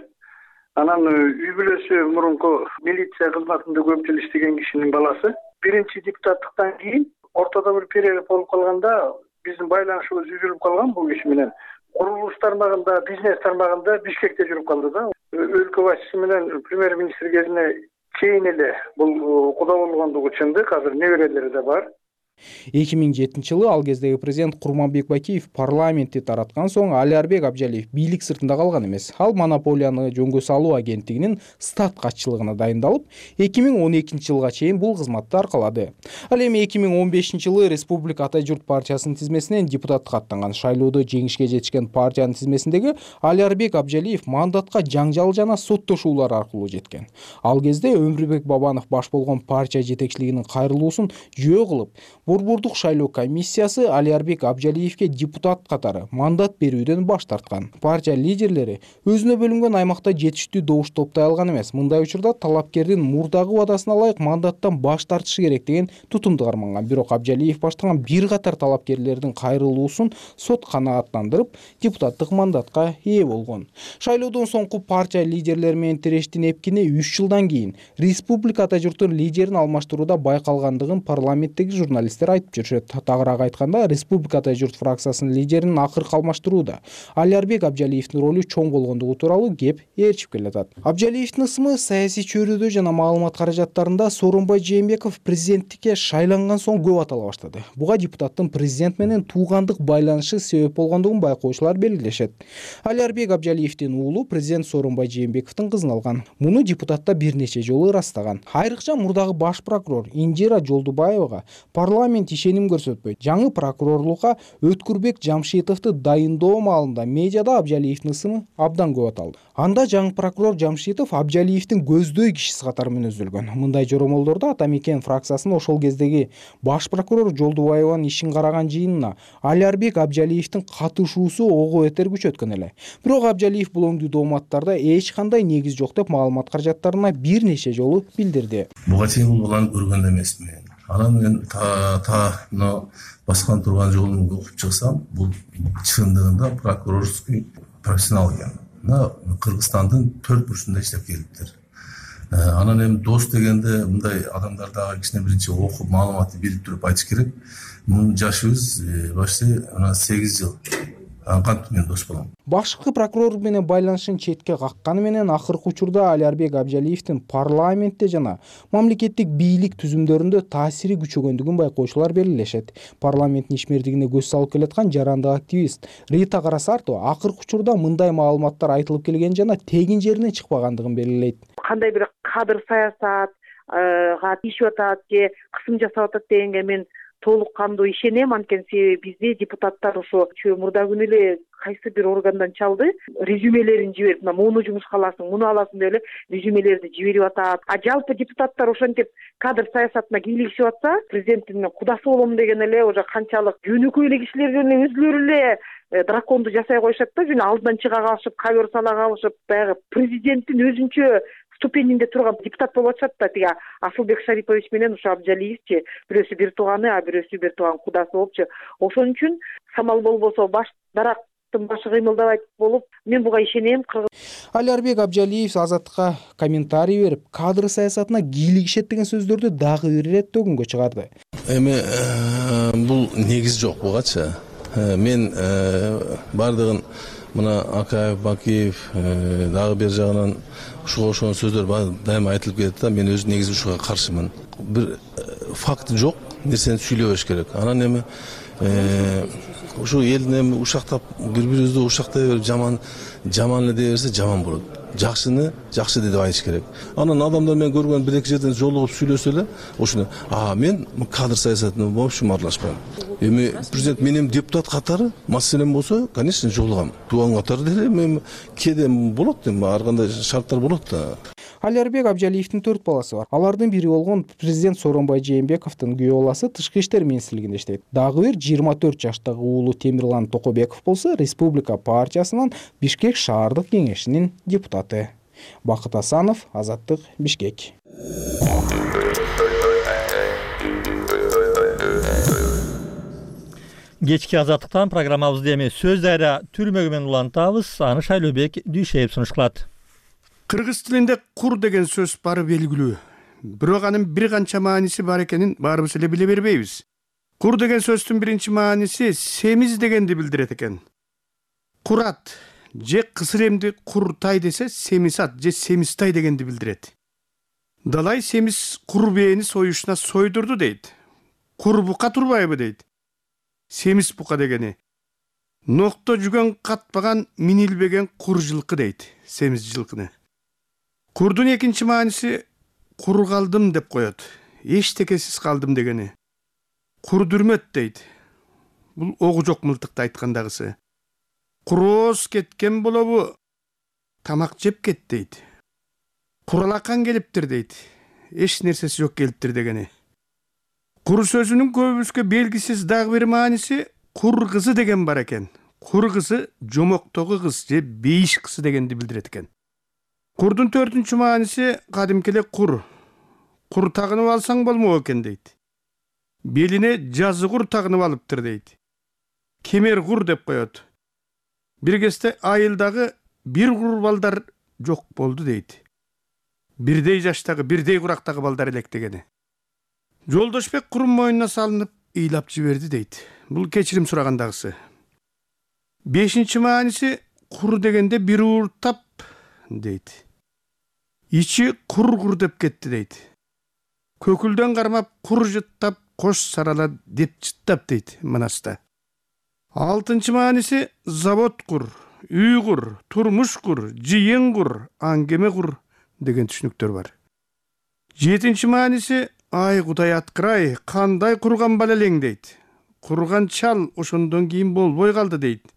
Анан үй бүлөсү мурунку милиция кызматында көп жыл иштеген кишинин баласы. Биринчи депутаттыктан кийин ортодо бир перерыв болуп калганда биздин байланышыбыз үзүлүп калган бул киши менен. Курулуш тармагында, бизнес тармагында Бишкекте жүрүп калды да. Өлкө башчысы менен премьер-министр кезине чейин эле бул куда болгондугу чындык. Азыр неберелери да бар. 2007-жылы ал кездеги президент Курманбек Бакиев парламентти тараткан соң Алиярбек Абжалиев бийлик сыртында калган эмес. Ал монополияны жөнгө салуу агенттигинин стат катчылыгына дайындалып, 2012-жылга чейин бул кызматты аркалады. Ал эми 2015-жылы Республика Ата журт партиясынын тизмесинен депутатка аттанган. Шайлоодо жеңишке жетишкен партиянын тизмесиндеги Алиярбек Абжалиев мандатка жаңжал жана соттошуулар аркылуу жеткен. Ал кезде Өмүрбек Бабанов баш болгон партия жетекчилигинин кайрылуусун жөө кылып, Борбордук шайлоо комиссиясы Алиярбек Абжалиевге депутат катары мандат берүүдөн баш тарткан. Партия лидерлери өзүнө бөлүнгөн аймакта жетиштүү добуш топтой алган эмес. Мындай учурда талапкердин мурдагы убадасына ылайык мандаттан баш тартышы керек деген тутумду карманган. Бирок Абжалиев баштаган бир катар талапкерлердин кайрылуусун сот канааттандырып, депутаттык мандатка ээ болгон. Шайлоодон соңку партия лидерлери менен тирештин эпкини 3 жылдан кийин Республика Ата журттун лидерин алмаштырууда байкалгандыгын парламенттеги журналисттер айтып жүрүшөт. Тагыраак айтканда, Республика Ата журт фракциясынын лидерин акыркы алмаштырууда Алиярбек Абжалиевдин ролу чоң болгондугу тууралуу кеп ээрчип келатат. Абжалиевдин ысымы саясий чөйрөдө жана маалымат каражаттарында Сооронбай Жээнбеков президенттикке шайланган соң көп атала баштады. Буга депутаттын президент менен туугандык байланышы себеп болгондугун байкоочулар белгилешет. Алиярбек Абжалиевдин уулу президент Сооронбай Жээнбековдун кызын алган. Муну депутатта бир нече жолу ырастаган. Айрыкча мурдагы баш прокурор Индира Жолдубаевага парламент ишеним көрсөтпөйт. Жаңы прокурорлукка Өткүрбек Жамшитовду дайындоо маалында медиада Абжалиевдин ысымы абдан көп аталды. Анда жаңы прокурор Жамшитов Абжалиевдин көздөй кишиси катары мүнөздөлгөн. Мындай жоромолдордо Ата мекен фракциясынын ошол кездеги баш прокурор Жолдубаеванын ишин караган жыйынына Алиярбек Абжалиевдин катышуусу ого бетер күчөткөн эле. Бирок Абжалиев бул оңдуу дооматтарда эч кандай негиз жок деп маалымат каражаттарына бир нече жолу билдирди. Буга чейин бул баланы көргөн эмесмин. Анан мен мына баскан турган жолун окуп чыксам, бул чындыгында прокурорский профессионал экен. Мына Кыргызстандын 4 бурчунда иштеп келиптир. Анан эми дос дегенде мындай адамдар дагы кичине биринчи окуп маалыматты билип туруп айтыш керек. Мунун жашыбыз почти 8 жыл. Кантип мен дос болом. Башкы прокурор менен байланышын четке какканы менен акыркы учурда Алиарбек Абжалиевдин парламентте жана мамлекеттик бийлик түзүмдөрүндө таасири күчөгөндүгүн байкоочулар белгилешет. Парламенттин ишмердигине көз салып келаткан жарандык активист Рита Карасартова акыркы учурда мындай маалыматтар айтылып келген жана тегин жеринен чыкпагандыгын белгилейт. Кандай бир кадыр саясатга тийишип атат же кысым жасап атат дегенге мен толук кандуу ишенем, анткени себеби бизде депутаттар ошо мурда күнү эле кайсы бир органдан чалды, резюмелерин жиберип, муну жумушка аласың, муну аласың деп эле резюмелерди жиберип атат. Жалпы депутаттар ошентип кадр саясатына кийлигишип атса, президенттин кудасы болом деген эле уже канчалык жөнөкөй эле кишилер эле өзүлөрү эле драконду жасай коюшат да, жөн алдынан чыга калышып, ковер сала калышып, баягы президенттин өзүнчө ступенинде турган депутат болуп атышат да. Тиги Асылбек Шарипович менен ошо Абжалиевчи бирөөсү бир тууганы, а бирөөсү бир тууган кудасы болупчу. Ошон үчүн самал болбосо баш дарактын башы кыймылдабайт болуп, мен буга ишенем. Алиарбек Абжалиев Азаттыкка комментарий берип, кадр саясатына кийлигишет деген сөздөрдү дагы бир ирет өгүнгө чыгарды. Эми бул негиз жок бугачы. Мен бардыгын мына Акаев, Бакиев дагы бер жагынан ушуга ошон сөздөр дайыма айтылып келет да, мен өзү негизи ушуга каршымын. Бир факт жок нерсени сүйлөбөш керек. Анан эми ушу элдин эми ушактап бири-бирибизди ушактай берип жаман эле дей берсе жаман болот. Жакшыны жакшы деп айтыш керек. Анан адамдар мен көргөн бир-эки жерден жолугуп сүйлөсө эле, ошону мен кадр саясатына вообще аралашпайм. Эми президент менин депутат катары маселем болсо, конечно, жолугам. Туган катары деле мен кээде болот, ар кандай шарттар болот да. Алиарбек Абжалиевдин 4 баласы бар. Алардын бири болгон президент Сооронбай Жээнбековдун күйөө баласы Тышкы иштер министрлигинде иштейт. Дагы бир 24 жаштагы уулу Темирлан Токобеков болсо Республика партиясынын Бишкек шаардык кеңешинин депутаты. Бакыт Асанов, Азаттык, Бишкек. Кечки Азаттыктан программабызды эми сөз дайра түрмөгү менен улантабыз. Аны Шайлообек Дүйшеев сунушталат. Кыргыз тилинде кур деген сөз бары белгилүү. Бирок анын бир канча мааниси бар экенин баарыбыз эле биле бербейбиз. Кур деген сөздүн биринчи мааниси семиз дегенди билдирет экен. Курат же кысыр эмди куртай десе семисат же семистай дегенди билдирет. Далай семиз кур бээни союшуна сойдурду дейт. Кур бука турбайбы дейт. Семиз бука дегени. Нокто жүгөн катпаган минилбеген кур жылкы дейт. Семиз жылкыны. Курдун экинчи мааниси кур калдым деп коет. Эчтекесиз калдым дегени. Кур дүрмөт дейт. Бул огу жок мылтыкты айткандагысы. Курооз кеткен болобу, тамак жеп кет дейт. Куралакан келиптир дейт. Эч нерсеси жок келиптир дегени. Кур сөзүнүн көбүбүзгө белгисиз дагы бир мааниси кур кызы деген бар экен. Кур кызы жомоктогу кыз же бейиш кызы дегенди билдирет экен. Курдун 4-үнчү мааниси кадимки эле кур. Кур тагынып алсаң болмок экен дейт. Белине жазы кур тагынып алыптыр дейт. Кемер кур деп коет. Бир кезде айылдагы бир кур балдар жок болду дейт. Бирдей жаштагы, бирдей курактагы балдар элек дегени. Жолдошбек курун мойнуна салынып ыйлап жиберди дейт. Бул кечирим сурагандагысы. 5-нчи мааниси кур дегенде бир ууртап дейт. Ичи кур деп кетти дейт. Көкүлдөн кармап кур жыттап кош сарала деп жыттап дейт манаста. 6-нчы мааниси завод кур, үй кур, турмуш кур, жыйын кур, аңгеме кур деген түшүнүктөр бар. 7-нчи мааниси ай Кудай аткырай, кандай курган бала элең дейт. Курган чал ошондон кийин болбой калды дейт.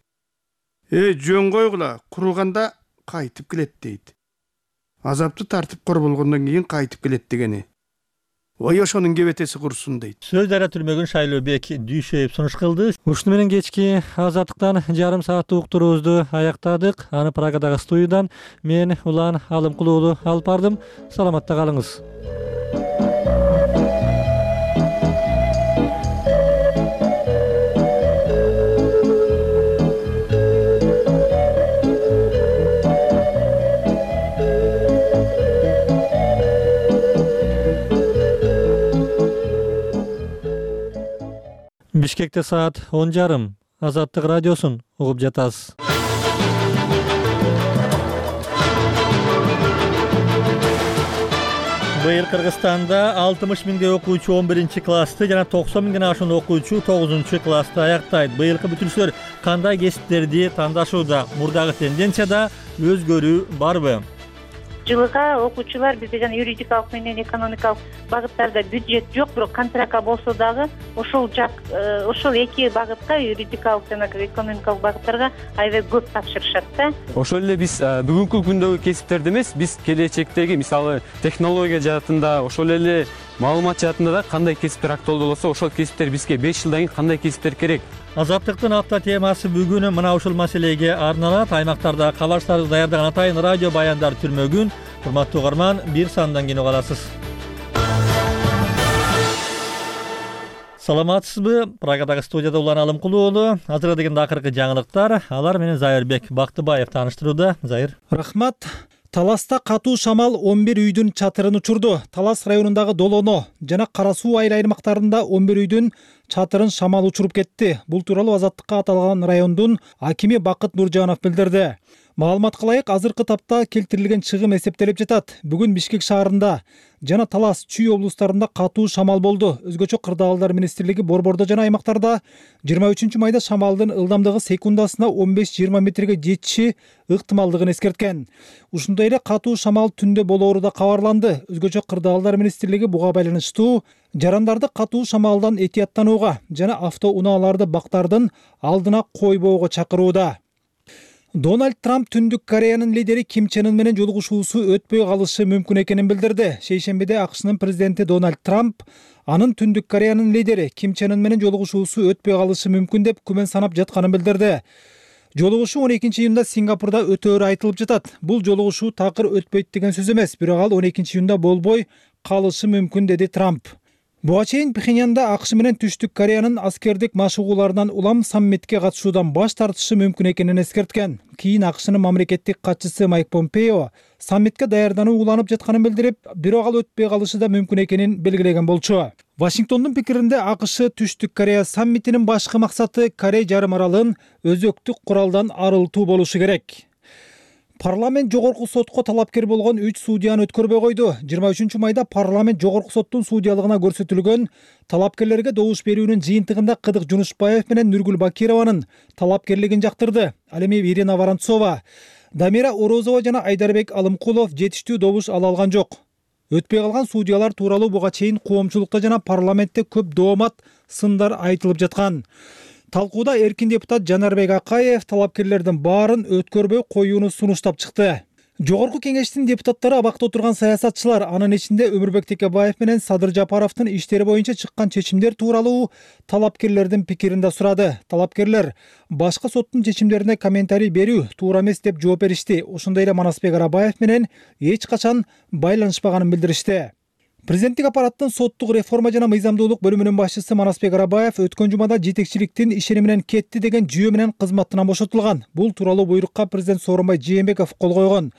Жөн койгула, курганда кайтып келет дейт. Азапты тартып кор болгондон кийин кайтып келет дегени. Ой ошонун кебетеси курсун дейт. Сөз дайра түрмөгүн Шайлообек Дүйшеев сунуш кылды. Ушуну менен кечки Азаттыктан жарым сааттык уктуруубузду аяктадык. Аны Прагадагы студиядан мен Улан Алымкул уулу алып бардым. Саламатта калыңыз. Бишкекте саат 10:30. Азаттык радиосун угуп жатасыз. Быйыл Кыргызстанда 60 миңдей окуучу 11 классты жана 90 миңден ашуун окуучу 9 классты аяктайт. Быйылкы бүтүрүүчүлөр кандай кесиптерди тандашууда? Мурдагы тенденцияда өзгөрүү барбы? Жылга окуучулар бизде жана юридикалык менен экономикалык багыттарда бюджет жок, бирок контрактка болсо дагы ошол эки багытка, юридикалык жана экономикалык багыттарга аябай көп тапшырышат да. Ошол эле биз бүгүнкү күндөгү кесиптерди эмес, биз келечектеги, мисалы, технология жаатында, ошол эле маалымат жаатында да кандай кесиптер актуалдуу болсо, ошол кесиптер бизге 5 жылдан кийин кандай кесиптер керек? Азаттыктын апта темасы бүгүн мына ушул маселеге арналат. Аймактарда кабарчыларды даярдаган атайын радио баяндар түрмөгүн урматтуу угарман бир сандан кийин уга аласыз. Саламатсызбы? Прагадагы студияда Улан Алымкулуу уулу. Азыркы дегенде акыркы жаңылыктар. Алар менен Зайырбек Бактыбаев тааныштырууда. Зайыр. Рахмат. Таласта катуу шамал 11 үйдүн чатырын учурду. Талас районундагы Долоно жана Кара суу айыл аймактарында 11 үйдүн чатырын шамал учуруп кетти. Бул тууралуу Азаттыкка аталган райондун акими Бакыт Нуржанов билдирди. Маалыматка ылайык азыркы тапта келтирилген чыгым эсептелип жатат. Бүгүн Бишкек шаарында жана Талас, Чүй облустарында катуу шамал болду. Өзгөчө Кырдаалдар министрлиги борбордо жана аймактарда 23 майда шамалдын ылдамдыгы секундасына 15-20 метрге жетиши ыктымалдыгын эскерткен. Ушундай эле катуу шамал түндө болоору да кабарланды. Өзгөчө Кырдаалдар министрлиги буга байланыштуу жарандарды катуу шамалдан этияттанууга жана автоунааларды бактардын алдына койбоого чакырууда. Дональд Трамп Түндүк Кореянын лидери Ким Чен Ын менен жолугушуусу өтпөй калышы мүмкүн экенин билдирди. Шейшембиде АКШнын президенти Дональд Трамп анын Түндүк Кореянын лидери Ким Чен Ын менен жолугушуусу өтпөй калышы мүмкүн деп күмөн санап жатканын билдирди. Жолугушуу 12-июнда Сингапурда өтөөрү айтылып жатат. Бул жолугушуу такыр өтпөйт деген сөз эмес, бирок ал 12-июнда болбой калышы мүмкүн, деди Трамп. Буга чейин Пхеньянда АКШ менен Түштүк Кореянын аскердик машыгууларынан улам саммитке катышуудан баш тартышы мүмкүн экенин эскерткен. Кийин АКШнын мамлекеттик катчысы Майк Помпео саммитке даярдануу уланып жатканын билдирип, бирок ал өтпөй калышы да мүмкүн экенин белгилеген болчу. Вашингтондун пикиринде АКШ Түштүк Корея саммитинин башкы максаты Корей жарым аралын өзөктүк куралдан арылтуу болушу керек. Парламент жогорку сотко талапкер болгон 3 судьяны өткөрбөй койду. 23 майда парламент жогорку соттун судьялыгына көрсөтүлгөн талапкерлерге добуш берүүнүн жыйынтыгында Кыдык Жунушбаев менен Нургүл Бакированын талапкерлигин жактырды. Ал эми Ирина Воронцова, Дамира Орозова жана Айдарбек Алымкулов жетиштүү добуш ала алган жок. Өтпөй калган судьялар тууралуу буга чейин коомчулукта жана парламентте көп доомат сындар айтылып жаткан. Талкууда эркин депутат Жанарбек Акаев талапкерлердин баарын өткөрбөй коюуну сунуштап чыкты. Жогорку кеңештин депутаттары абакта отурган саясатчылар, анын ичинде Өмүрбек Текебаев менен Садыр Жапаровдун иштери боюнча чыккан чечимдер тууралуу талапкерлердин пикирин да сурады. Талапкерлер башка соттун чечимдерине комментарий берүү туура эмес деп жооп беришти. Ошондой эле Манасбек Арабаев менен эч качан байланышпаганын билдиришти. Президенттик аппараттын соттук реформа жана мыйзамдуулук бөлүмүнүн башчысы Манасбек Арабаев өткөн жумада жетекчиликтин ишени менен кетти деген жүйө менен кызматтан бошотулган. Бул тууралуу буйрукка президент Сооронбай Жээнбеков кол койгон.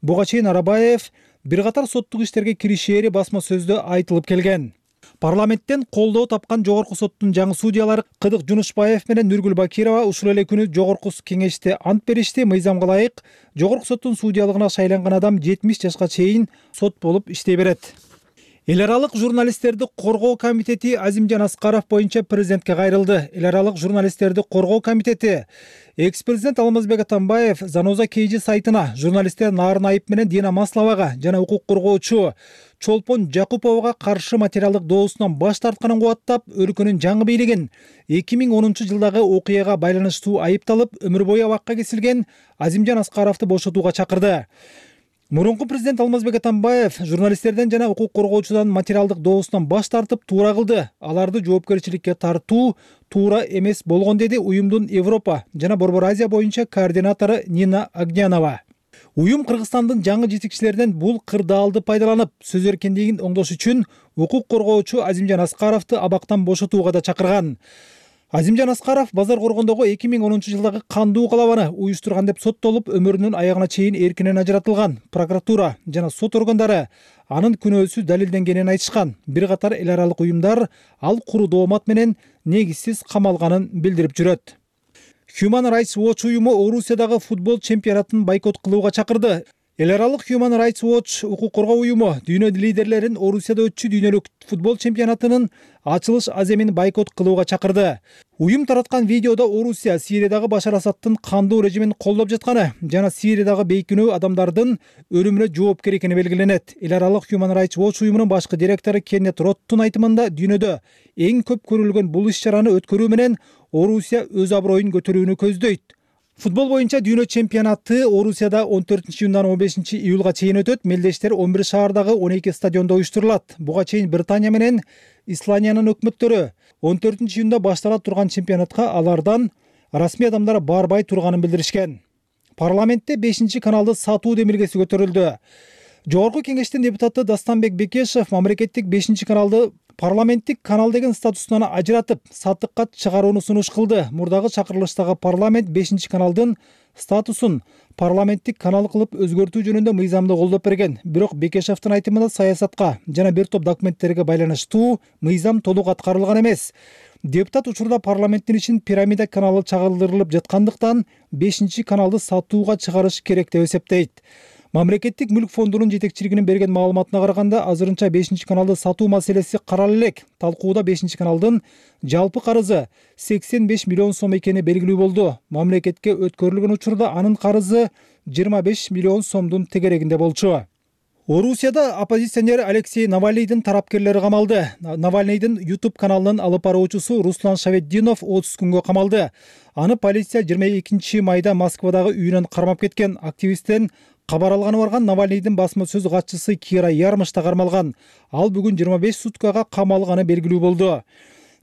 Буга чейин Арабаев бир катар соттук иштерге киришери басма сөздө айтылып келген. Парламенттен колдоо тапкан жогорку соттун жаңы судьялары Кыдык Жунушбаев менен Нургүл Бакирова ушул эле күнү жогорку кеңеште ант беришти. Мыйзамга ылайык жогорку соттун судьялыгына шайланган адам 70 жашка чейин сот болуп иштей берет. Эл аралык журналисттерди коргоо комитети Азимжан Аскаров боюнча президентке кайрылды. Эл аралык журналисттерди коргоо комитети экс-президент Алмазбек Атамбаев Заноза Кейжи сайтына журналисттер Нарын Айып менен Дина Масловага жана укук коргоочу Чолпон Жакуповага каршы материалдык доосунан баш тартканын кубаттап, өлкөнүн жаңы бийлигин 2010 жылдагы окуяга байланыштуу айыпталып, өмүр бою абакка кесилген Азимжан Аскаровду бошотууга чакырды. Мурунку президент Алмазбек Атамбаев журналисттерден жана укук коргоочудан материалдык доосунан баш тартып туура кылды. Аларды жоопкерчиликке тартуу туура эмес болгон, деди уюмдун Европа жана Борбор Азия боюнча координатору Нина Агнянова. Уюм Кыргызстандын жаңы жетекчилеринен бул кырдаалды пайдаланып, сөз эркиндигин оңдош үчүн укук коргоочу Азимжан Аскаровду абактан бошотууга да чакырган. Азимжан Аскаров Базар Коргондогу 2010 жылдагы кандуу калабаны уюштурган деп соттолуп, өмүрүнүн аягына чейин эркинен ажыратылган. Прокуратура жана сот органдары анын күнөөсү далилденгенин айтышкан. Бир катар эл аралык уюмдар ал куру доомат менен негизсиз камалганын билдирип жүрөт. Human Rights Watch уюму Орусиядагы футбол чемпионатын бойкот кылууга чакырды. Эл аралык Human Rights Watch укук коргоо уюму дүйнө лидерлерин Орусияда өтчү дүйнөлүк футбол чемпионатынын ачылыш аземин бойкот кылууга чакырды. Уюм тараткан видеодо Орусия Сириядагы Башар Асадтын кандуу режимин колдоп жатканы жана Сириядагы бейкүнөө адамдардын өлүмүнө жоопкер экени белгиленет. Эл аралык Human Rights Watch уюмунун башкы директору Кеннет Роттун айтымында дүйнөдө эң көп көрүлгөн бул иш-чараны өткөрүү менен Орусия өз аброюн көтөрүүнү көздөйт. Футбол боюнча дүйнө чемпионаты Орусияда 14-июндан 15-июлга чейин өтөт. Мелдештер 11 шаардагы 12 стадиондо уюштурулат. Буга чейин Британия менен Исландиянын өкмөттөрү 14-июнда баштала турган чемпионатка алардан расмий адамдар барбай турганын билдиришкен. Парламентте 5-каналды сатуу демилгеси көтөрүлдү. Жогорку кеңештин депутаты Дастанбек Бекешев мамлекеттик 5-каналды парламенттик канал деген статусунан ажыратып, сатыкка чыгарууну сунуш кылды. Мурдагы чакырылыштагы парламент 5-каналдын статусун парламенттик канал кылып өзгөртүү жөнүндө мыйзамды колдоп берген. Бирок Бекешевдин айтымында саясатка жана бир топ документтерге байланыштуу мыйзам толук аткарылган эмес. Депутат учурда парламенттин ишин пирамида каналы чагылдырылып жаткандыктан 5-каналды сатууга чыгарыш керек деп эсептейт. Мамлекеттик мүлк фондунун жетекчилигинин берген маалыматына караганда, азырынча 5-каналды сатуу маселеси каралып элек. Талкууда 5-каналдын жалпы карызы 85 миллион сом экени белгилүү болду. Мамлекетке өткөрүлгөн учурда анын карызы 25 миллион сомдун тегерегинде болчу. Орусияда оппозиционер Алексей Навальныйдын тарапкерлери камалды. Навальныйдын YouTube каналынын алып баруучусу Руслан Шаветдинов 30 күнгө камалды. Аны полиция 22 майда Москвадагы үйүнөн кармап кеткен. Активисттен кабар алганы барган Навальныйдын басма сөз катчысы Кира Ярмыш да кармалган. Ал бүгүн 25 суткага камалганы белгилүү болду.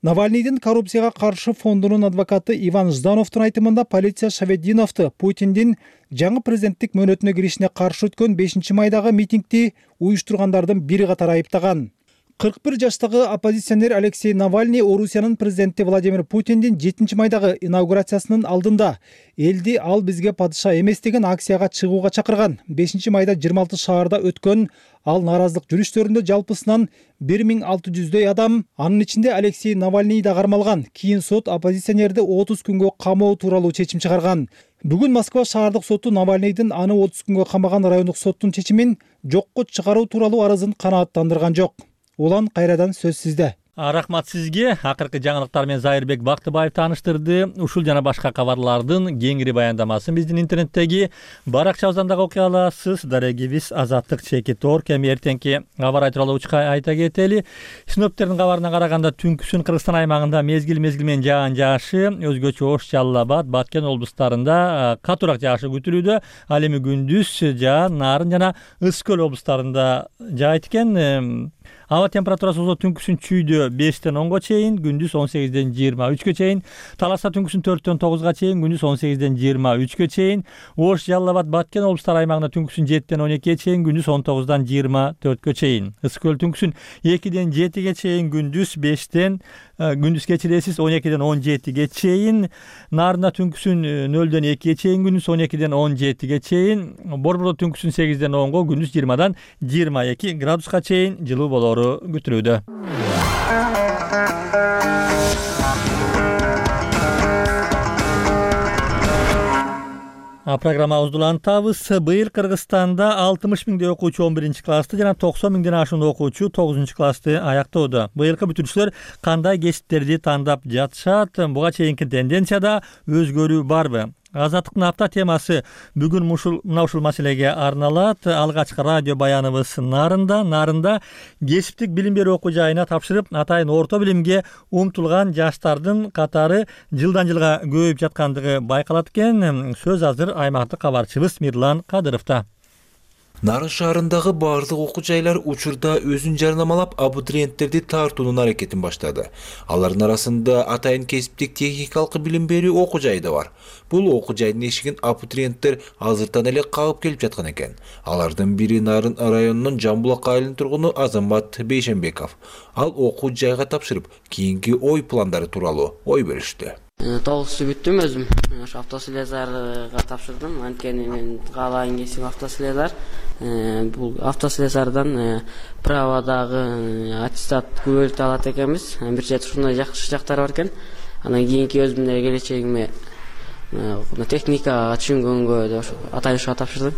Навальныйдын коррупцияга каршы фондунун адвокаты Иван Ждановдун айтымында полиция Шаветдиновду Путиндин жаңы президенттик мөөнөтүнө киришине каршы өткөн 5-майдагы митингди уюштургандардын бири катары айыптаган. 41 жаштагы оппозиционер Алексей Навальный Орусиянын президенти Владимир Путиндин 7-майдагы инаугурациясынын алдында элди ал бизге падыша эмес деген акцияга чыгууга чакырган. 5-майда 26 шаарда өткөн ал нааразылык жүрүштөрүндө жалпысынан 1600дөй адам, анын ичинде Алексей Навальный да кармалган. Кийин сот оппозиционерди 30 күнгө камоо тууралуу чечим чыгарган. Бүгүн Москва шаардык соту Навальныйдын аны 30 күнгө камаган райондук соттун чечимин жокко чыгаруу тууралуу арызын канааттандырган жок. Улан кайрадан сөз сизде. Рахмат сизге. Акыркы жаңылыктар менен Зайырбек Бактыбаев тааныштырды. Ушул жана башка кабарлардын кеңири баяндамасын биздин интернеттеги баракчабыздан дагы окуй аласыз. Дарегибиз Азаттык Чекит.org. Эми эртеңки аба ырайы тууралуу айта кетели. Синоптиктердин кабарына караганда түнкүсүн Кыргызстан аймагында мезгил менен жаан жаашы, өзгөчө Ош, Жалал Абад, Баткен облустарында катуураак жаашы күтүлүүдө. Ал эми күндүз жаан, Нарын жана Ысык Көл облустарында жаайт экен. Аба температурасы түнкүсүн чүйдө 5-тен 10га чейин, күндүз 18-ден 23га чейин. Таласта түнкүсүн 4-тен 9га чейин, күндүз 18-ден 23га чейин. Ош, Жалал Абад, Баткен облустары аймагында түнкүсүн 7-тен 12ге чейин, күндүз 19-дан 24га чейин. Ысык Көл түнкүсүн 2-ден 7ге чейин, күндүз 5-тен күндүз кечиресиз 12-ден 17ге чейин. Нарында түнкүсүн 0-ден 2ге чейин, күндүз 12-ден 17ге чейин. Борбордо түнкүсүн 8-ден 10га, күндүз 20-дан 22 градуска чейин жылуу болору күтүлүүдө. Программабызды улантабыз. Быйыл Кыргызстанда 60 миңдей окуучу 11-классты жана 90 миңден ашуун окуучу 9-классты аяктоодо. Быйылкы бүтүрүүчүлөр кандай кесиптерди тандап жатышат? Буга чейинки тенденцияда өзгөрүү барбы? Азаттыктын апта темасы бүгүн ушул маселеге арналат. Алгачкы радио баяныбыз Нарында кесиптик билим берүү окуу жайына тапшырып, атайын орто билимге умтулган жаштардын катары жылдан жылга көбөйүп жаткандыгы байкалат экен. Сөз азыр аймактык кабарчыбыз Мирлан Кадыровдо. Нарын шаарындагы баардык окуу жайлар учурда өзүн жарнамалап абитуриенттерди тартуунун аракетин баштады. Алардын арасында атайын кесиптик техникалык билим берүү окуу жайы да бар. Бул окуу жайдын эшигин абитуриенттер азыртан эле кагып келип жаткан экен. Алардын бири Нарын районунун Жамбулак айылынын тургуну Азамат Бейшенбеков. Ал окуу жайга тапшырып, кийинки ой пландары тууралуу ой бөлүштү. Толугусу бүттүм өзүм. Ошо автослесарга тапшырдым. Анткени мен каалаган кесибим автослесар. Бул автослесардан праводагы аттестат күбөлүктү алат экенбиз. Бир жет ушундай жакшы жактары бар экен. Анан кийинки өзүмдүн келечегиме техникага түшүнгөнгө деп ошо атайын ушуга тапшырдым.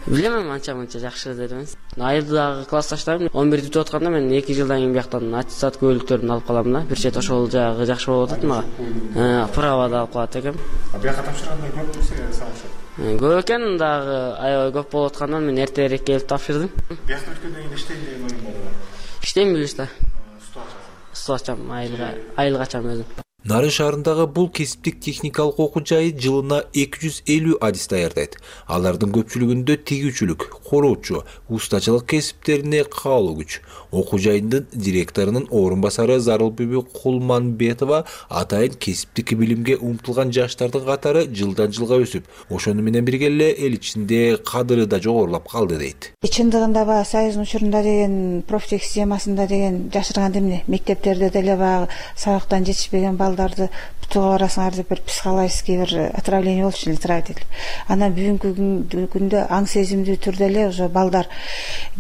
Билем, анча жакшы деп эмес. Айылдагы классташтарым 11 бүтүп атканда мен 2 жылдан кийин бияктан аттестат күбөлүктөрүн алып калам да. Бир жет ошол жагы жакшы болуп атат мага. Правода алып калат экенм. Бияка тапшырганда көппү силер салышы? Көп экен, дагы аябай көп болуп аткандан мен эртерээк келип тапшырдым. Биякта өткөндөн кийин иштейм деген оюң барбы? Иштейм билишта. Суу ачам, айылга ачам өзүм. Нарын шаарындагы бул кесиптик техникалык окуу жайы жылына 250 адис даярдайт. Алардын көпчүлүгүндө тигүүчүлүк, короочу, устачылык кесиптерине каалоо күч. Окуу жайынын директорунун орун басары Зарылбүбү Кулманбетова атайын кесиптик билимге умтулган жаштардын катары жылдан жылга өсүп, ошону менен бирге эле эл ичинде кадыры да жогорулап калды дейт. Чындыгында баягы Союздун учурунда деген профтех системасында деген жашырган эмне, мектептерде деле баягы сабактан жетишпеген балдарды бутууга барасыңар деп бир психологический бир отравление болчу эле травитель. Анан бүгүнкү күндө аң сезимдүү түрдө эле уже балдар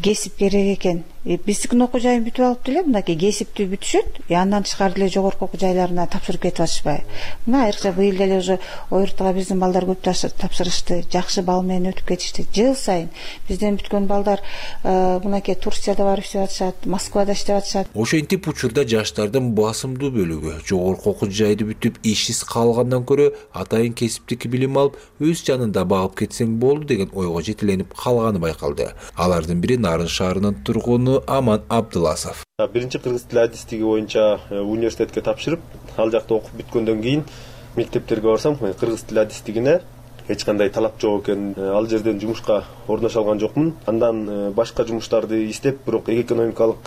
кесип керек экен. Биздикин окуу жайын бүтүп алып деле мынакей кесипти бүтүшөт, андан тышкары деле жогорку окуу жайларына тапшырып кетип атышпайбы. Мына айрыкча быйыл деле уже ОРТга биздин балдар көп тапшырышты, жакшы бал менен өтүп кетишти. Жыл сайын бизден бүткөн балдар мынакей Турцияда барып иштеп атышат, Москвада иштеп атышат. Ошентип учурда жаштардын басымдуу бөлүгү жогорку окуу жайды бүтүп ишсиз калгандан көрө атайын кесиптик билим алып өз жанында багып кетсең болду деген ойго жетеленип калганы байкалды. Алардын бири Нарын шаарынын тургуну Аман Абдыласов. Биринчи кыргыз тили адистиги боюнча университетке тапшырып, ал жакта окуп бүткөндөн кийин мектептерге барсам, кыргыз тили адистигине эч кандай талап жок экен. Ал жерден жумушка орношо алган жокмун. Андан башка жумуштарды издеп, бирок экономикалык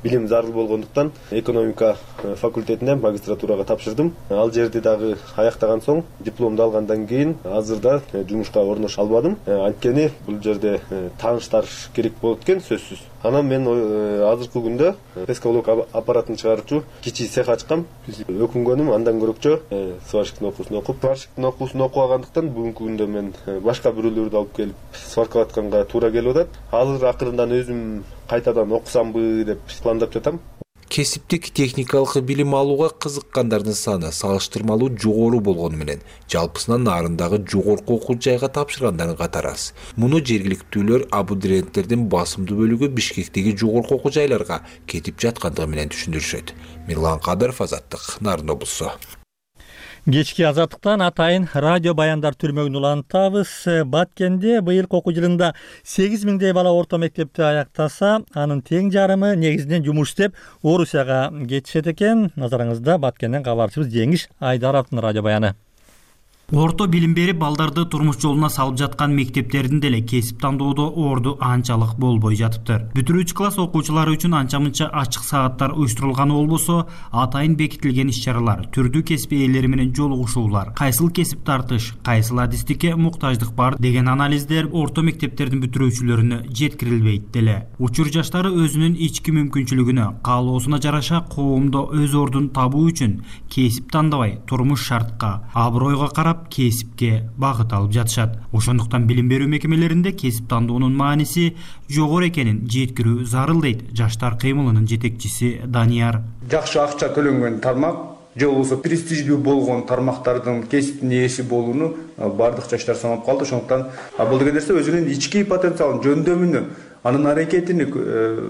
билим зарыл болгондуктан экономика факультетине магистратурага тапшырдым. Ал жерди дагы аяктаган соң, дипломду алгандан кийин азырда жумушка орношо албадым. Анткени бул жерде тааныштар керек болот экен сөзсүз. Анан мен азыркы күндө пескалок аппаратын чыгаруучу кичи цех ачкам. Өкүнгөнүм андан көрөкчө сварщиктин окуусун окуп, сварщиктин окуусун окугандан бүгүнкү күндө мен башка бирөөлөрдү алып келип сваркалатканга туура келип атат. Азыр акырындан өзүм кайтадан окусамбы деп пландап жатам. Кесиптик техникалык билим алууга кызыккандардын саны салыштырмалуу жогору болгону менен жалпысынан Нарындагы жогорку окуу жайга тапшыргандардын катары аз. Муну жергиликтүүлөр абитуриенттердин басымдуу бөлүгү Бишкектеги жогорку окуу жайларга кетип жаткандыгы менен түшүндүрүшөт. Мирлан Кадыров, Азаттык, Нарын облусу. Кечки Азаттыктан атайын радио баяндар түрмөгүн улантабыз. Баткенде быйылкы окуу жылында 8000дей бала орто мектепти аяктаса, анын тең жарымы негизинен жумуш иштеп Орусияга кетишет экен. Назарыңызда Баткенден кабарчыбыз Жеңиш Айдаровдун радио баяны. Орто билим берип балдарды турмуш жолуна салып жаткан мектептердин деле кесип тандоодо орду анчалык болбой жатыптыр. Бүтүрүүчү класс окуучулары үчүн анча-мынча ачык сааттар уюштурулганы болбосо, атайын бекитилген иш-чаралар, түрдүү кесип ээлери менен жолугушуулар, кайсыл кесип тартыш, кайсыл адистикке муктаждык бар деген анализдер орто мектептердин бүтүрүүчүлөрүнө жеткирилбейт деле. Учур жаштары өзүнүн ички мүмкүнчүлүгүнө, каалоосуна жараша коомдо өз ордун табуу үчүн кесип тандабай, турмуш шартка, абройго карап кесипке багыт алып жатышат. Ошондуктан билим берүү мекемелеринде кесип тандоонун мааниси жогору экенин жеткирүү зарыл дейт жаштар кыймылынын жетекчиси Данияр. Жакшы акча төлөнгөн тармак же болбосо престиждүү болгон тармактардын кесиптин ээси болууну бардык жаштар санап калды. Ошондуктан бул деген нерсе өзүнүн ички потенциалын, жөндөмүнү, анын аракетини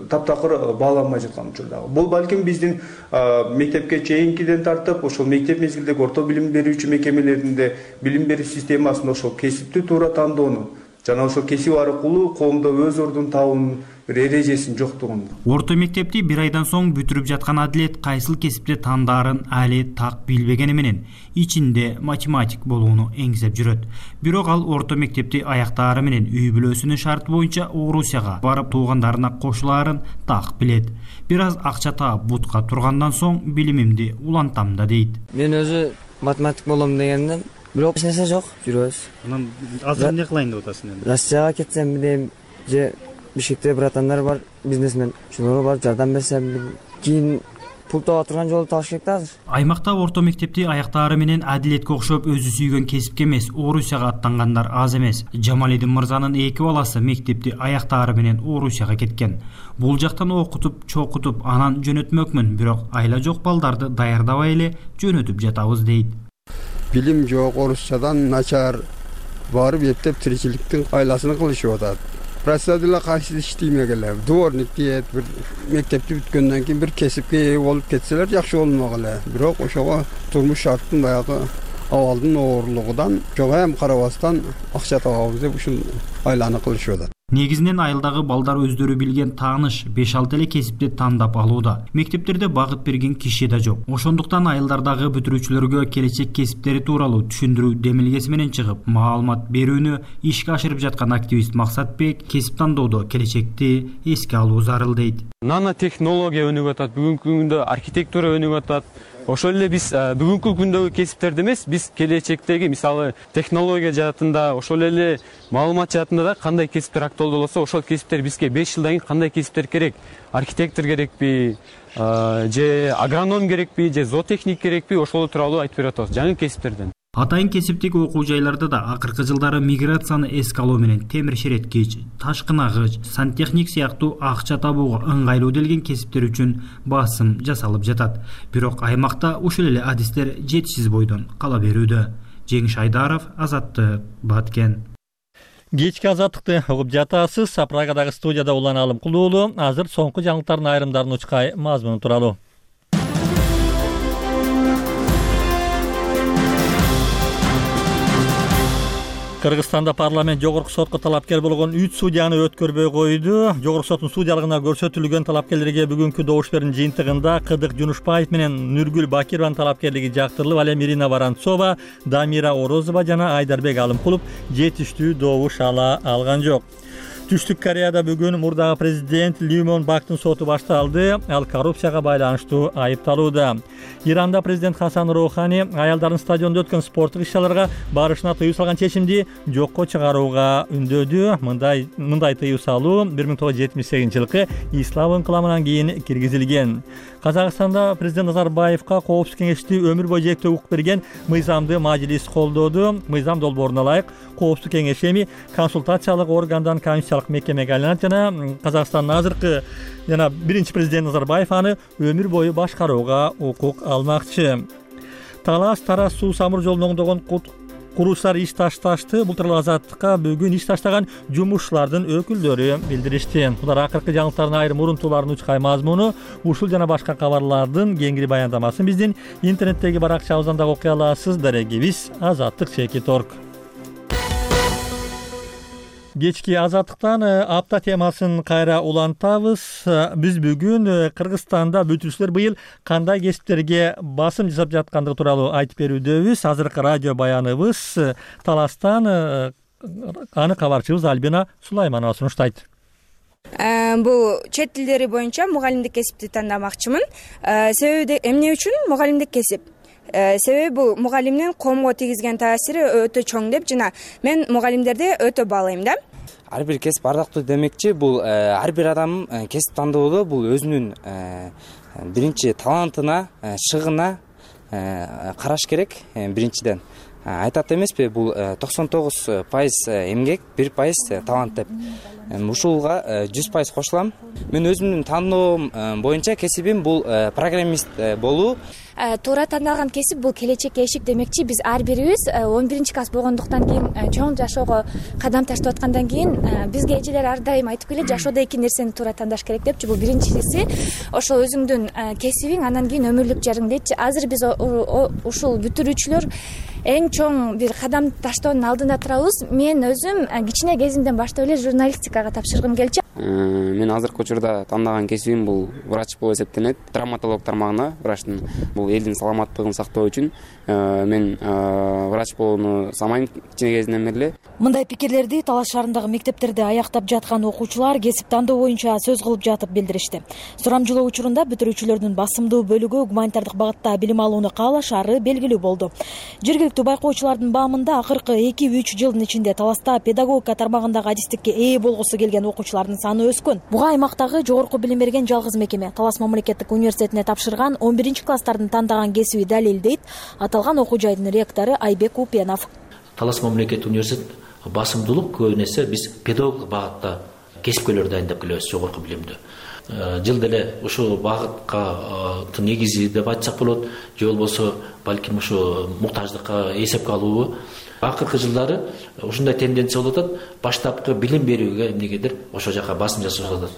таптакыр бааламай жаткан учурдагы. Бул балким биздин мектепке чейинкиден тартып, ошол мектеп мезгилдеги орто билим берүүчү мекемелеринде билим берүү системасында ошол кесипти туура тандоону жана ошол кесип аркылуу коомдо өз ордун табуунун бир эрежесинин жоктугун. Орто мектепти бир айдан соң бүтүрүп жаткан Адилет кайсыл кесипти тандаарын али так билбегени менен ичинде математик болууну эңзеп жүрөт. Бирок ал орто мектепти аяктаары менен үй бүлөсүнүн шарты боюнча Орусияга барып туугандарына кошулаарын так билет. Бир аз акча таап бутка тургандан соң билимимди улантам да дейт. Мен өзү математик болом дегенден бирок эч нерсе жок, жүрөбүз. Анан азыр эмне кылайын деп атасың энди? Россияга кетсем дейм, же Бишкекте братандар бар, бизнесмен. Шуларга барып жардам берсем, кийин пул таба турган жолду табыш керек да азыр. Аймакта орто мектепти аяктаары менен адилетке окшоп өзү сүйгөн кесипке эмес, Орусияга аттангандар аз эмес. Жамалидин мырзанын 2 баласы мектепти аяктаары менен Орусияга кеткен. Бул жактан окутуп, чокутуп, анан жөнөтмөкмүн, бирок айла жок балдарды даярдабай эле жөнөтүп жатабыз дейт. Билим жок, орусчадан начар, барып эптеп тиричиликтин айласын кылышып атат. Профессионалдык кайсы иштейме келе. Дворник дейт, бир мектепти бүткөндөн кийин бир кесипке ээ болуп кетселер жакшы болмок эле. Бирок ошого турмуш шарттын баягы абалдын оорлугунан жога эм карабастан акча табабыз деп ушул айланы кылышып атат. Негизинен айылдагы балдар өздөрү билген тааныш 5-6 эле кесипти тандап алууда. Мектептерде багыт берген киши да жок. Ошондуктан айылдардагы бүтүрүүчүлөргө келечек кесиптери тууралуу түшүндүрүү демилгеси менен чыгып, маалымат берүүнү ишке ашырып жаткан активист Максатбек кесип тандоодо келечекти эске алуу зарыл дейт. Нанотехнология өнүгүп атат, бүгүнкү күндө архитектура өнүгүп атат. Ошол эле биз бүгүнкү күндөгү кесиптерди эмес, биз келечектеги мисалы технология жаатында, ошол эле маалымат жаатында да кандай кесиптер актуалдуу болсо, ошол кесиптер бизге 5 жылдан кийин кандай кесиптер керек? Архитектор керекпи, же агроном керекпи, же зоотехник керекпи? Ошол тууралуу айтып берип атабыз жаңы кесиптерден. Атайын кесиптик окуу жайларда да акыркы жылдары миграцияны эске алуу менен темир шереткич, ташкынагыч, сантехник сыяктуу акча табууга ыңгайлуу делген кесиптер үчүн басым жасалып жатат. Бирок аймакта ушул эле адистер жетишсиз бойдон кала берүүдө. Жеңиш Айдаров, Азаттык, Баткен. Кечки азаттыкты угуп жатасыз. Прагадагы студияда Улан Алымкулуулу. Азыр соңку жаңылыктардын айрымдарын учкай мазмуну тууралуу. Кыргызстанда парламент жогорку сотко талапкер болгон 3 судьяны өткөрбөй койду. Жогорку соттун судьялыгына көрсөтүлгөн талапкерлерге бүгүнкү добуш берүүнүн жыйынтыгында Кыдык Жунушбаев менен Нургүл Бакированын талапкерлиги жактырылып, ал эми Ирина Воронцова, Дамира Орозова жана Айдарбек Алымкулов жетиштүү добуш ала алган жок. Түштүк Кореяда бүгүн мурдагы президент Ли Мон Бактын соту башталды. Ал коррупцияга байланыштуу айыпталууда. Иранда президент Хасан Роухани аялдардын стадиондо өткөн спорттук иш-чараларга барышына тыюу салган чечимди жокко чыгарууга үндөдү. Мындай тыюу салуу 1978-жылкы ислам ыңкыламынан кийин киргизилген. Казакстанда президент Назарбаевка Коопсуздук кеңешти өмүр бою жээктүү укук берген мыйзамды мажлис колдоду. Мыйзам долбооруна ылайык Коопсуздук кеңеши эми консультациялык органдан комиссиялык мекемеге айланат жана Казакстандын азыркы жана биринчи президент Назарбаев аны өмүр бою башкарууга укук алмакчы. Талас-Тарас суу самыр жолун оңдогон куруучулар иш ташташты. Бул тууралуу Азаттыкка бүгүн иш таштаган жумушчулардын өкүлдөрү билдиришти. Булар акыркы жаңылыктардын айрым урунтууларын учкай мазмуну, ушул жана башка кабарлардын кеңири баяндамасын биздин интернеттеги баракчабыздан да окуй аласыз. Дарегибиз azattik.org. Кечки азаттыктан апта темасын кайра улантабыз. Биз бүгүн Кыргызстанда бүтүрүүчүлөр быйыл кандай кесиптерге басым жасап жаткандыгы тууралуу айтып берүүдөбүз. Азыркы радио баяныбыз Таластан аны кабарчыбыз Альбина Сулайманова сунуштайт. Бул чет тилдери боюнча мугалимдик кесипти тандамакчымын. Себеби эмне үчүн мугалимдик кесип? Себеби бул мугалимдин коомго тийгизген таасири өтө чоң деп жана мен мугалимдерди өтө баалайм да. Ар бир кесип ардактуу демекчи, бул ар бир адам кесип тандоодо бул өзүнүн биринчи талантына, шыгына караш керек. Биринчиден айтат эмеспи, бул 99% эмгек, 1% талант деп. Ушулга 100% кошулам. Мен өзүмдүн тандоом боюнча кесибим бул программист болуу. Туура тандалган кесип бул келечекке эшик демекчи. Биз ар бирибиз 11-класс болгондуктан кийин чоң жашоого кадам таштап аткандан кийин бизге эжелер ар дайым айтып келет, жашоодо эки нерсени туура тандаш керек депчи. Бул биринчиси ошол өзүңдүн кесибиң, анан кийин өмүрлүк жарың дейчи. Азыр биз ушул бүтүрүүчүлөр эң чоң бир кадам таштоонун алдында турабыз. Мен өзүм кичине кезимден баштап эле журналистикага тапшыргым келчү. Мен азыркы учурда тандаган кесибим бул врач болуп эсептенет. Травматолог тармагына врачтын бул элдин саламаттыгын сактоо үчүн мен врач болууну самайм кичине кезинен бери эле. Мындай пикирлерди Талас шаарындагы мектептерде аяктап жаткан окуучулар кесип тандоо боюнча сөз кылып жатып билдиришти. Сурамжылоо учурунда бүтүрүүчүлөрдүн басымдуу бөлүгү гуманитардык багытта билим алууну каалашары белгилүү болду. Жергиликтүү байкоочулардын баамында акыркы 2-3 жылдын ичинде Таласта педагогика тармагындагы адистикке ээ болгусу келген окуучулардын саны өскөн. Буга аймактагы жогорку билим берген жалгыз мекеме Талас мамлекеттик университетине тапшырган 11 класстардын тандаган кесиби далил дейт аталган окуу жайдын ректору Айбек Упенов. Талас мамлекеттик университет басымдуулук көбүн эсе биз педагогдук багытта кесипкөйлөр дайындап келебиз жогорку билимди. Жыл деле ушул багытка негизи деп айтсак болот, же болбосо балким ушу муктаждыкка эсепке алуу. Акыркы жылдары ушундай тенденция болуп атат. Баштапкы билим берүүгө эмнегедир ошол жака басым жасап атат.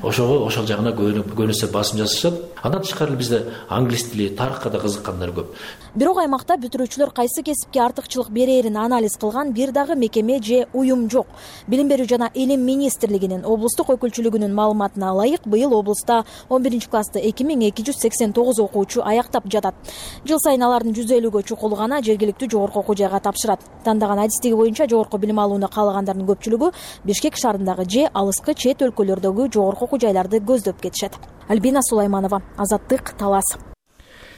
Ошол жагына көбүнесе басым жасашат. Андан тышкары бизде англис тили, тарыхка да кызыккандар көп. Бирок аймакта бүтүрүүчүлөр кайсы кесипке артыкчылык берээрин анализ кылган бир дагы мекеме же уюм жок. Билим берүү жана илим министрлигинин облустук өкүлчүлүгүнүн маалыматына ылайык, быйыл облуста 11 классты 2289 окуучу аяктап жатат. Жыл сайын алардын 150гө чукулу гана жергиликтүү жогорку окуу жайга тапшырат. Тандаган адистиги боюнча жогорку билим алууну каалагандардын көпчүлүгү Бишкек шаарындагы же алыскы чет өлкөлөрдөгү жогорку окуу жайларды көздөп кетишет. Альбина Сулайманова, Азаттык, Талас.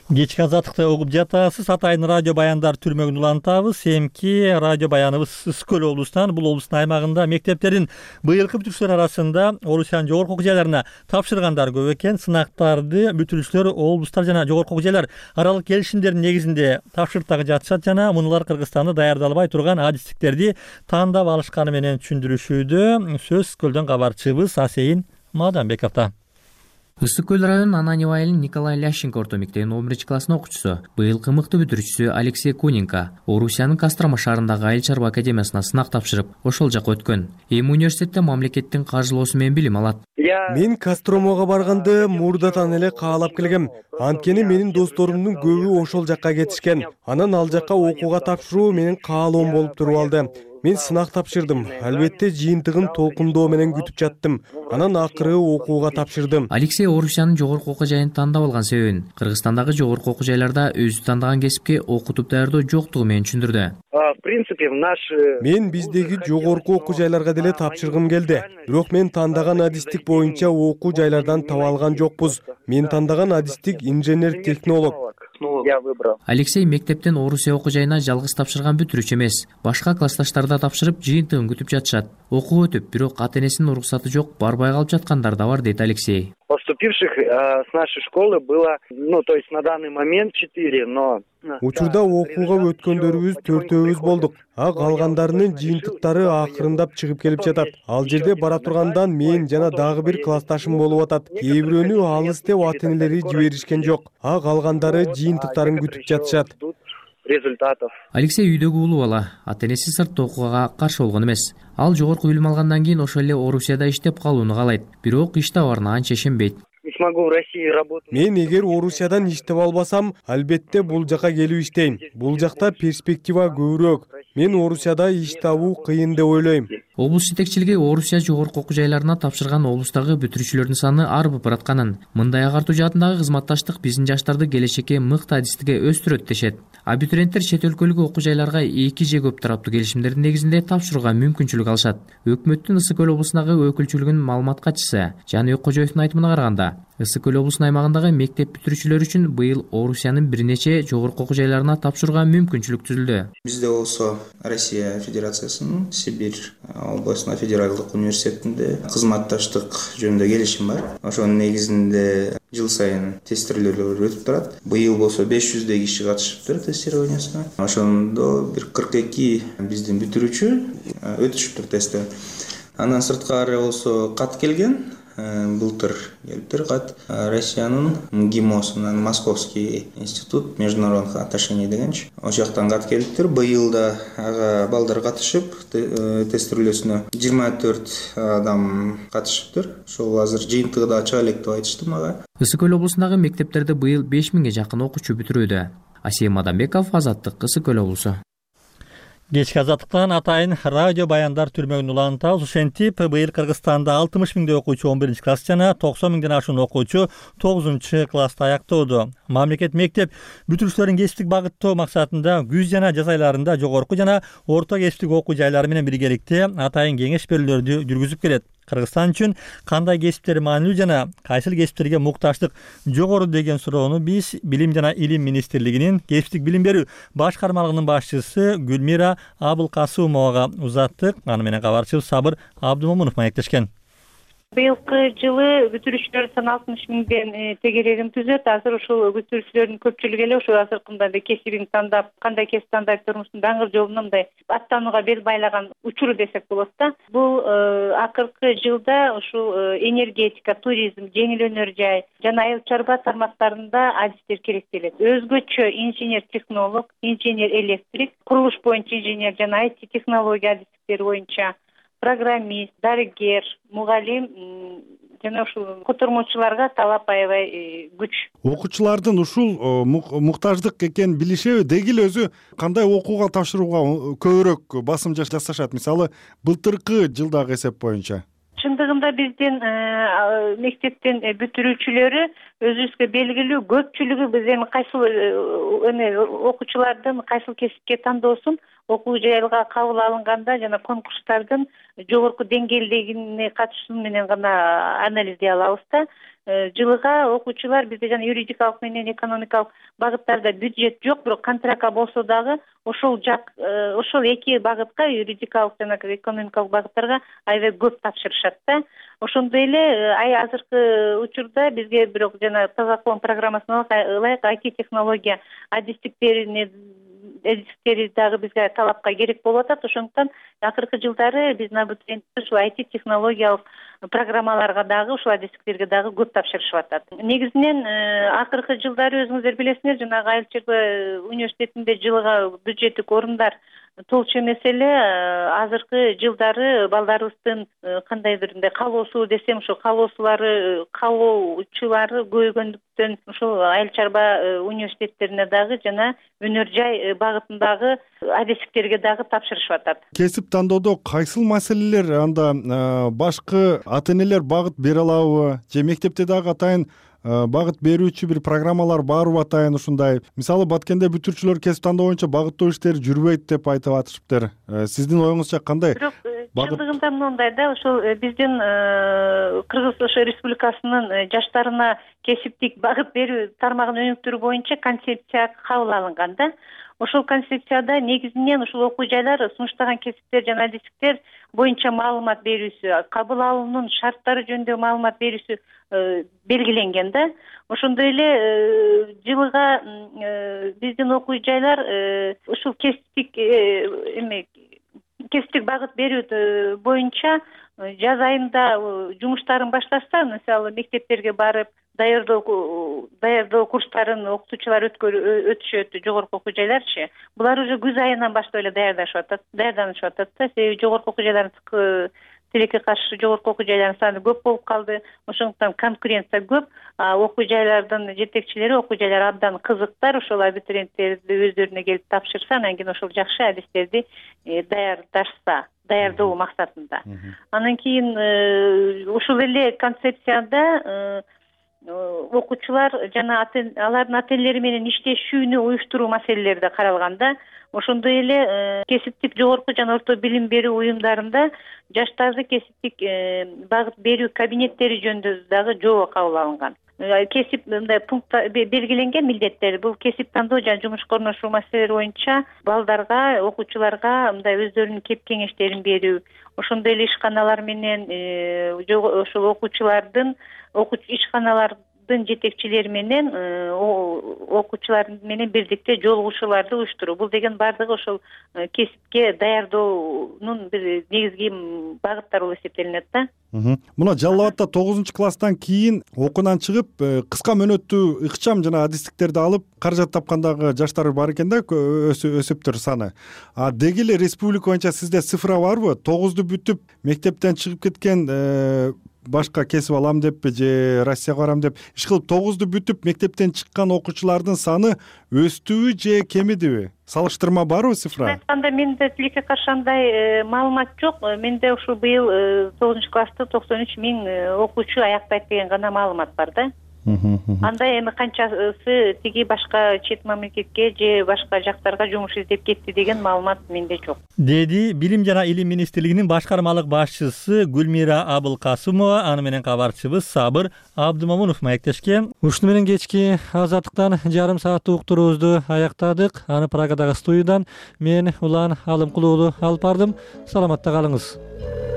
Кечки азаттыкты угуп жатасыз. Атайын радио баяндар түрмөгүн улантабыз. Эмки радио баяныбыз Ысык-Көл облусунан. Бул облустун аймагында мектептердин быйылкы бүтүрүүчүлөр арасында Орусиянын жогорку окуу жайларына тапшыргандар көп экен. Сынактарды бүтүрүүчүлөр облустар жана жогорку окуу жайлар аралык келишимдердин негизинде тапшырыктагы жатышат жана мунулар Кыргызстанда даярдалбай турган адистиктерди тандап алышканы менен түшүндүрүшүүдө. Сөз Көлдөн кабарчыбыз Асейин Мадамбековдо. Ысык-Көл районунун Ананьева айылынын Николай Лященко орто мектебинин 11 класстын окуучусу, быйылкы мыкты бүтүрүүчүсү Алексей Куненко Орусиянын Кострома шаарындагы айыл чарба академиясына сынак тапшырып, ошол жака өткөн. Эми университетте мамлекеттин каржылоосу менен билим алат. Мен Костромого барганды мурдатан эле каалап келгем. Анткени менин досторумдун көбү ошол жакка кетишкен. Анан ал жакка окууга тапшыруу менин каалоом болуп туруп алды. Мен сынак тапшырдым. Албетте жыйынтыгын толкундоо менен күтүп жаттым. Анан акыры окууга тапшырдым. Алексей Орусиянын жогорку окуу жайын тандап алган себебин Кыргызстандагы жогорку окуу жайларда өзү тандаган кесипке окутуп даярдоо жоктугу менен түшүндүрдү. Мен биздеги жогорку окуу жайларга деле тапшыргым келди. Бирок мен тандаган адистик боюнча окуу жайлардан таба алган жокпуз. Мен тандаган адистик инженер-технолог. Алексей мектептен Орусия окуу жайына жалгыз тапшырган бүтүрүүчү эмес. Башка классташтарда тапшырып, жыйынтыгын күтүп жатышат. Окуу өтүп, бирок ата-энесинин уруксаты жок, барбай калып жаткандар да бар, дейт Алексей. Поступивших с нашей школы было, то есть на данный момент 4, но... Учурда окууга өткөндөрүбүз 4-өбүз болдук. Калгандарынын жыйынтыктары акырындап чыгып келип жатат. Ал жерде бара тургандан мен жана дагы бир классташым болуп атат. Кээ бирөөнү алыс деп ата-энелери жиберишкен жок. Калгандары жыйынтыктарын күтүп жатышат. Результатов. Алексей үйдөгү улуу бала, ата-энеси сыртта окууга каршы болгон эмес. Ал жогорку билим алгандан кийин ошол эле Орусияда иштеп калууну каалайт. Бирок иш табарына анча ишенбейт. Мен эгер Орусиядан иштеп албасам, албетте бул жака келип иштейм. Бул жакта перспектива көбүрөөк. Мен Орусияда иш табуу кыйын деп ойлойм. Облус жетекчилиги Орусия жогорку окуу жайларына тапшырган облустагы бүтүрүүчүлөрдүн саны арбып баратканын, мындай агартуу жаатындагы кызматташтык биздин жаштарды келечекке мыкты адистикке өстүрөт дешет. Абитуриенттер чет өлкөлүк окуу жайларга 2 же көп тараптуу келишимдердин негизинде тапшырууга мүмкүнчүлүк алышат. Өкмөттүн Ысык-Көл облусундагы өкүлчүлүгүнүн маалымат катчысы Жаныбек Кожоевдун айтымына караганда, Ысык-Көл облусунун аймагындагы мектеп бүтүрүүчүлөр үчүн быйыл Орусиянын бир нече жогорку окуу жайларына тапшырууга мүмкүнчүлүк түзүлдү. Бизде болсо Россия Федерациясынын Сибирь областына федералдык университетинде кызматташтык жөнүндө келишим бар. Ошонун негизинде жыл сайын тестирование өтүп турат. Быйыл болсо 500 киши катышыптыр тестированиясына. Ошондо бир 42 биздин бүтүрүүчү өтүшүптүр тесттен. Андан сырткары болсо кат келген. Былтыр келиптир кат Россиянын МГИМОсунан Московский институт международных отношений дегенчи. Ошол жактан кат келиптир. Быйыл да ага балдар катышып тестировательсүнө 24 адам катышыптыр. Ошол азыр жыйынтыгы да чыга элек деп айтышты мага. Ысык-Көл облусундагы мектептерде быйыл 5000ге жакын окуучу бүтүрүүдө. Асейин Мадамбеков, Азаттык, Ысык-Көл облусу. Кечки азаттыктан атайын радио баяндар түрмөгүн улантабыз. Ошентип, быйыл Кыргызстанда 60 миңдей окуучу 11 класс жана 90 миңден ашуун окуучу 9 класста аяктоодо. Мамлекет мектеп бүтүрүүчүлөрүн кесиптик багыттоо максатында күз жана жаз айларында жогорку жана орто кесиптик окуу жайлары менен биргеликте атайын кеңеш берүүлөрдү жүргүзүп келет. Кыргызстан үчүн кандай кесиптер маанилүү жана кайсыл кесиптерге мукташтык жогору деген суроону биз Билим жана Илим министрлигинин кесиптик билим берүү башкармалыгынын башчысы Гүлмира Абылкасымовага узаттык. Аны менен кабарчыбыз Сабыр Абдымомунов маектешкен. Быйылкы жылы бүтүрүүчүлөр саны 60 миңден тегерегин түзөт. Азыр ушул бүтүрүүчүлөрдүн көпчүлүгү эле ушул азыркы мындай кесибин тандап, кандай кесип тандап турмуштун даңгыр жолуна мындай аттанууга бел байлаган учуру десек болот да. Бул акыркы жылда ушул энергетика, туризм, жеңил өнөр жай жана айыл чарба тармактарында адистер керектелет. Өзгөчө инженер-технолог, инженер-электрик, курулуш боюнча инженер жана IT технология адистиктери боюнча программист, дарыгер, мугалим жана ушул котормочуларга талап аябай күч. Окуучулардын ушул муктаждык экенин билишеби? Деги эле өзү кандай окууга тапшырууга көбүрөөк басым жасашат? Мисалы, былтыркы жылдагы эсеп боюнча. Чындыгында биздин мектептин бүтүрүүчүлөрү өзүбүзгө белгилүү көпчүлүгү биз эми кайсыл окуучулардын кайсыл кесипке тандоосун окуу жайга кабыл алынганда жана конкурстардын жогорку деңгээлдегине катышуу менен гана анализдей алабыз да. Жылыга окуучулар бизде жана юридикалык менен экономикалык багыттарда бюджет жок, бирок контрактка болсо дагы ошол эки багытка, юридикалык жана экономикалык багыттарга аябай көп тапшырышат да. Ошондой эле азыркы учурда бизге бирок жана таза кылым программасына ылайык IT технология адистиктери дагы бизге талапка керек болуп атат. Ошондуктан акыркы жылдары биздин абитуриенттер ушул IT технологиялык программаларга дагы ушул адистиктерге дагы көп тапшырышып атат. Негизинен акыркы жылдары өзүңүздөр билесиңер, жанагы Айыл чарба университетинде жылга бюджеттик орундар толчу эмес эле. Азыркы жылдары балдарыбыздын кандайдыр мындай каалоосу десем, ушул каалоочулары көбөйгөндүктөн ушул Айыл чарба университеттерине дагы жана өнөр жай багытындагы адистиктерге дагы тапшырышып атат. Кесип тандоодо кайсыл маселелер анда башкы ата-энелер багыт бере алабы? Же мектепте дагы атайын багыт берүүчү бир программалар барбы атайын ушундай? Мисалы, Баткенде бүтүрүүчүлөр кесип тандоо боюнча багыттоо иштери жүрбөйт деп айтып атышыптыр. Сиздин оюңузча кандай? Чындыгында мындай да, ошол биздин Кыргыз Республикасынын жаштарына кесиптик багыт берүү тармагын өнүктүрүү боюнча концепция кабыл алынган да. Ошол концепцияда негизинен ушул окуу жайлар сунуштаган кесиптер жана адистиктер боюнча маалымат берүүсү, кабыл алуунун шарттары жөнүндө маалымат берүүсү белгиленген да. Ошондой эле жылга биздин окуу жайлар ушул кесиптик багыт берүү боюнча жаз айында жумуштарын башташса, мисалы мектептерге барып даярдоо курстарын окутуучулар өтүшөт, жогорку окуу жайларчы. Булар уже күз айынан баштап эле даярданышып атат да. Себеби жогорку окуу жайлардын тилекке каршы жогорку окуу жайлардын саны көп болуп калды. Ошондуктан конкуренция көп. Окуу жайлардын жетекчилери окуу жайлар абдан кызыктар. Ошол абитуриенттерди өздөрүнө келип тапшырса, анан кийин ошол жакшы адистерди даярдоо максатында. Анан кийин ушул эле концепцияда окуучулар жана алардын ата-энелери менен иштешүүнү уюштуруу маселелери да каралган да. Ошондой эле кесиптик жогорку жана орто билим берүү уюмдарында жаштарды кесиптик багыт берүү кабинеттери жөнүндө дагы жобо кабыл алынган. Кесип мындай пунктта белгиленген милдеттер. Бул кесип тандоо жана жумушка орношуу маселелери боюнча балдарга, окуучуларга мындай өздөрүнүн кеп кеңештерин берүү. Ошондой эле ишканалар менен ошол окуучулардын ишканалардын жетекчилери менен окуучулар менен бирдикте жолугушууларды уюштуруу. Бул деген бардыгы ошол кесипке даярдоонун бир негизги багыттары болуп эсептелинет да. Мына Жалал Абадта 9-класстан кийин окуудан чыгып, кыска мөөнөттүү ыкчам жана адистиктерди алып каражат тапкандагы жаштар бар экен да, өсүптүр саны. Деги эле республика боюнча сизде цифра барбы? 9-ду бүтүп мектептен чыгып кеткен башка кесип алам деппи же Россияга барам деп иш кылып 9-ду бүтүп мектептен чыккан окуучулардын саны өстүбү же кемидиби? Салыштырма барбы цифра? Айтканда менде тилекке каршы андай маалымат жок. Менде ушул быйыл 9-классты 93 миң окуучу аякпайт деген гана маалымат бар да. Андай эми канчасы тиги башка чет мамлекетке же башка жактарга жумуш издеп кетти деген маалымат менде жок. Деди Билим жана Илим министрлигинин башкармалык башчысы Гүлмира Абылкасымова, аны менен кабарчыбыз Сабыр Абдымомунов маектешкен. Ушуну менен кечки Азаттыктан жарым сааттык уктуруубузду аяктадык. Аны Праgadагы студиядан мен Улан Алымкулуу алып бардым. Саламатта калыңыз.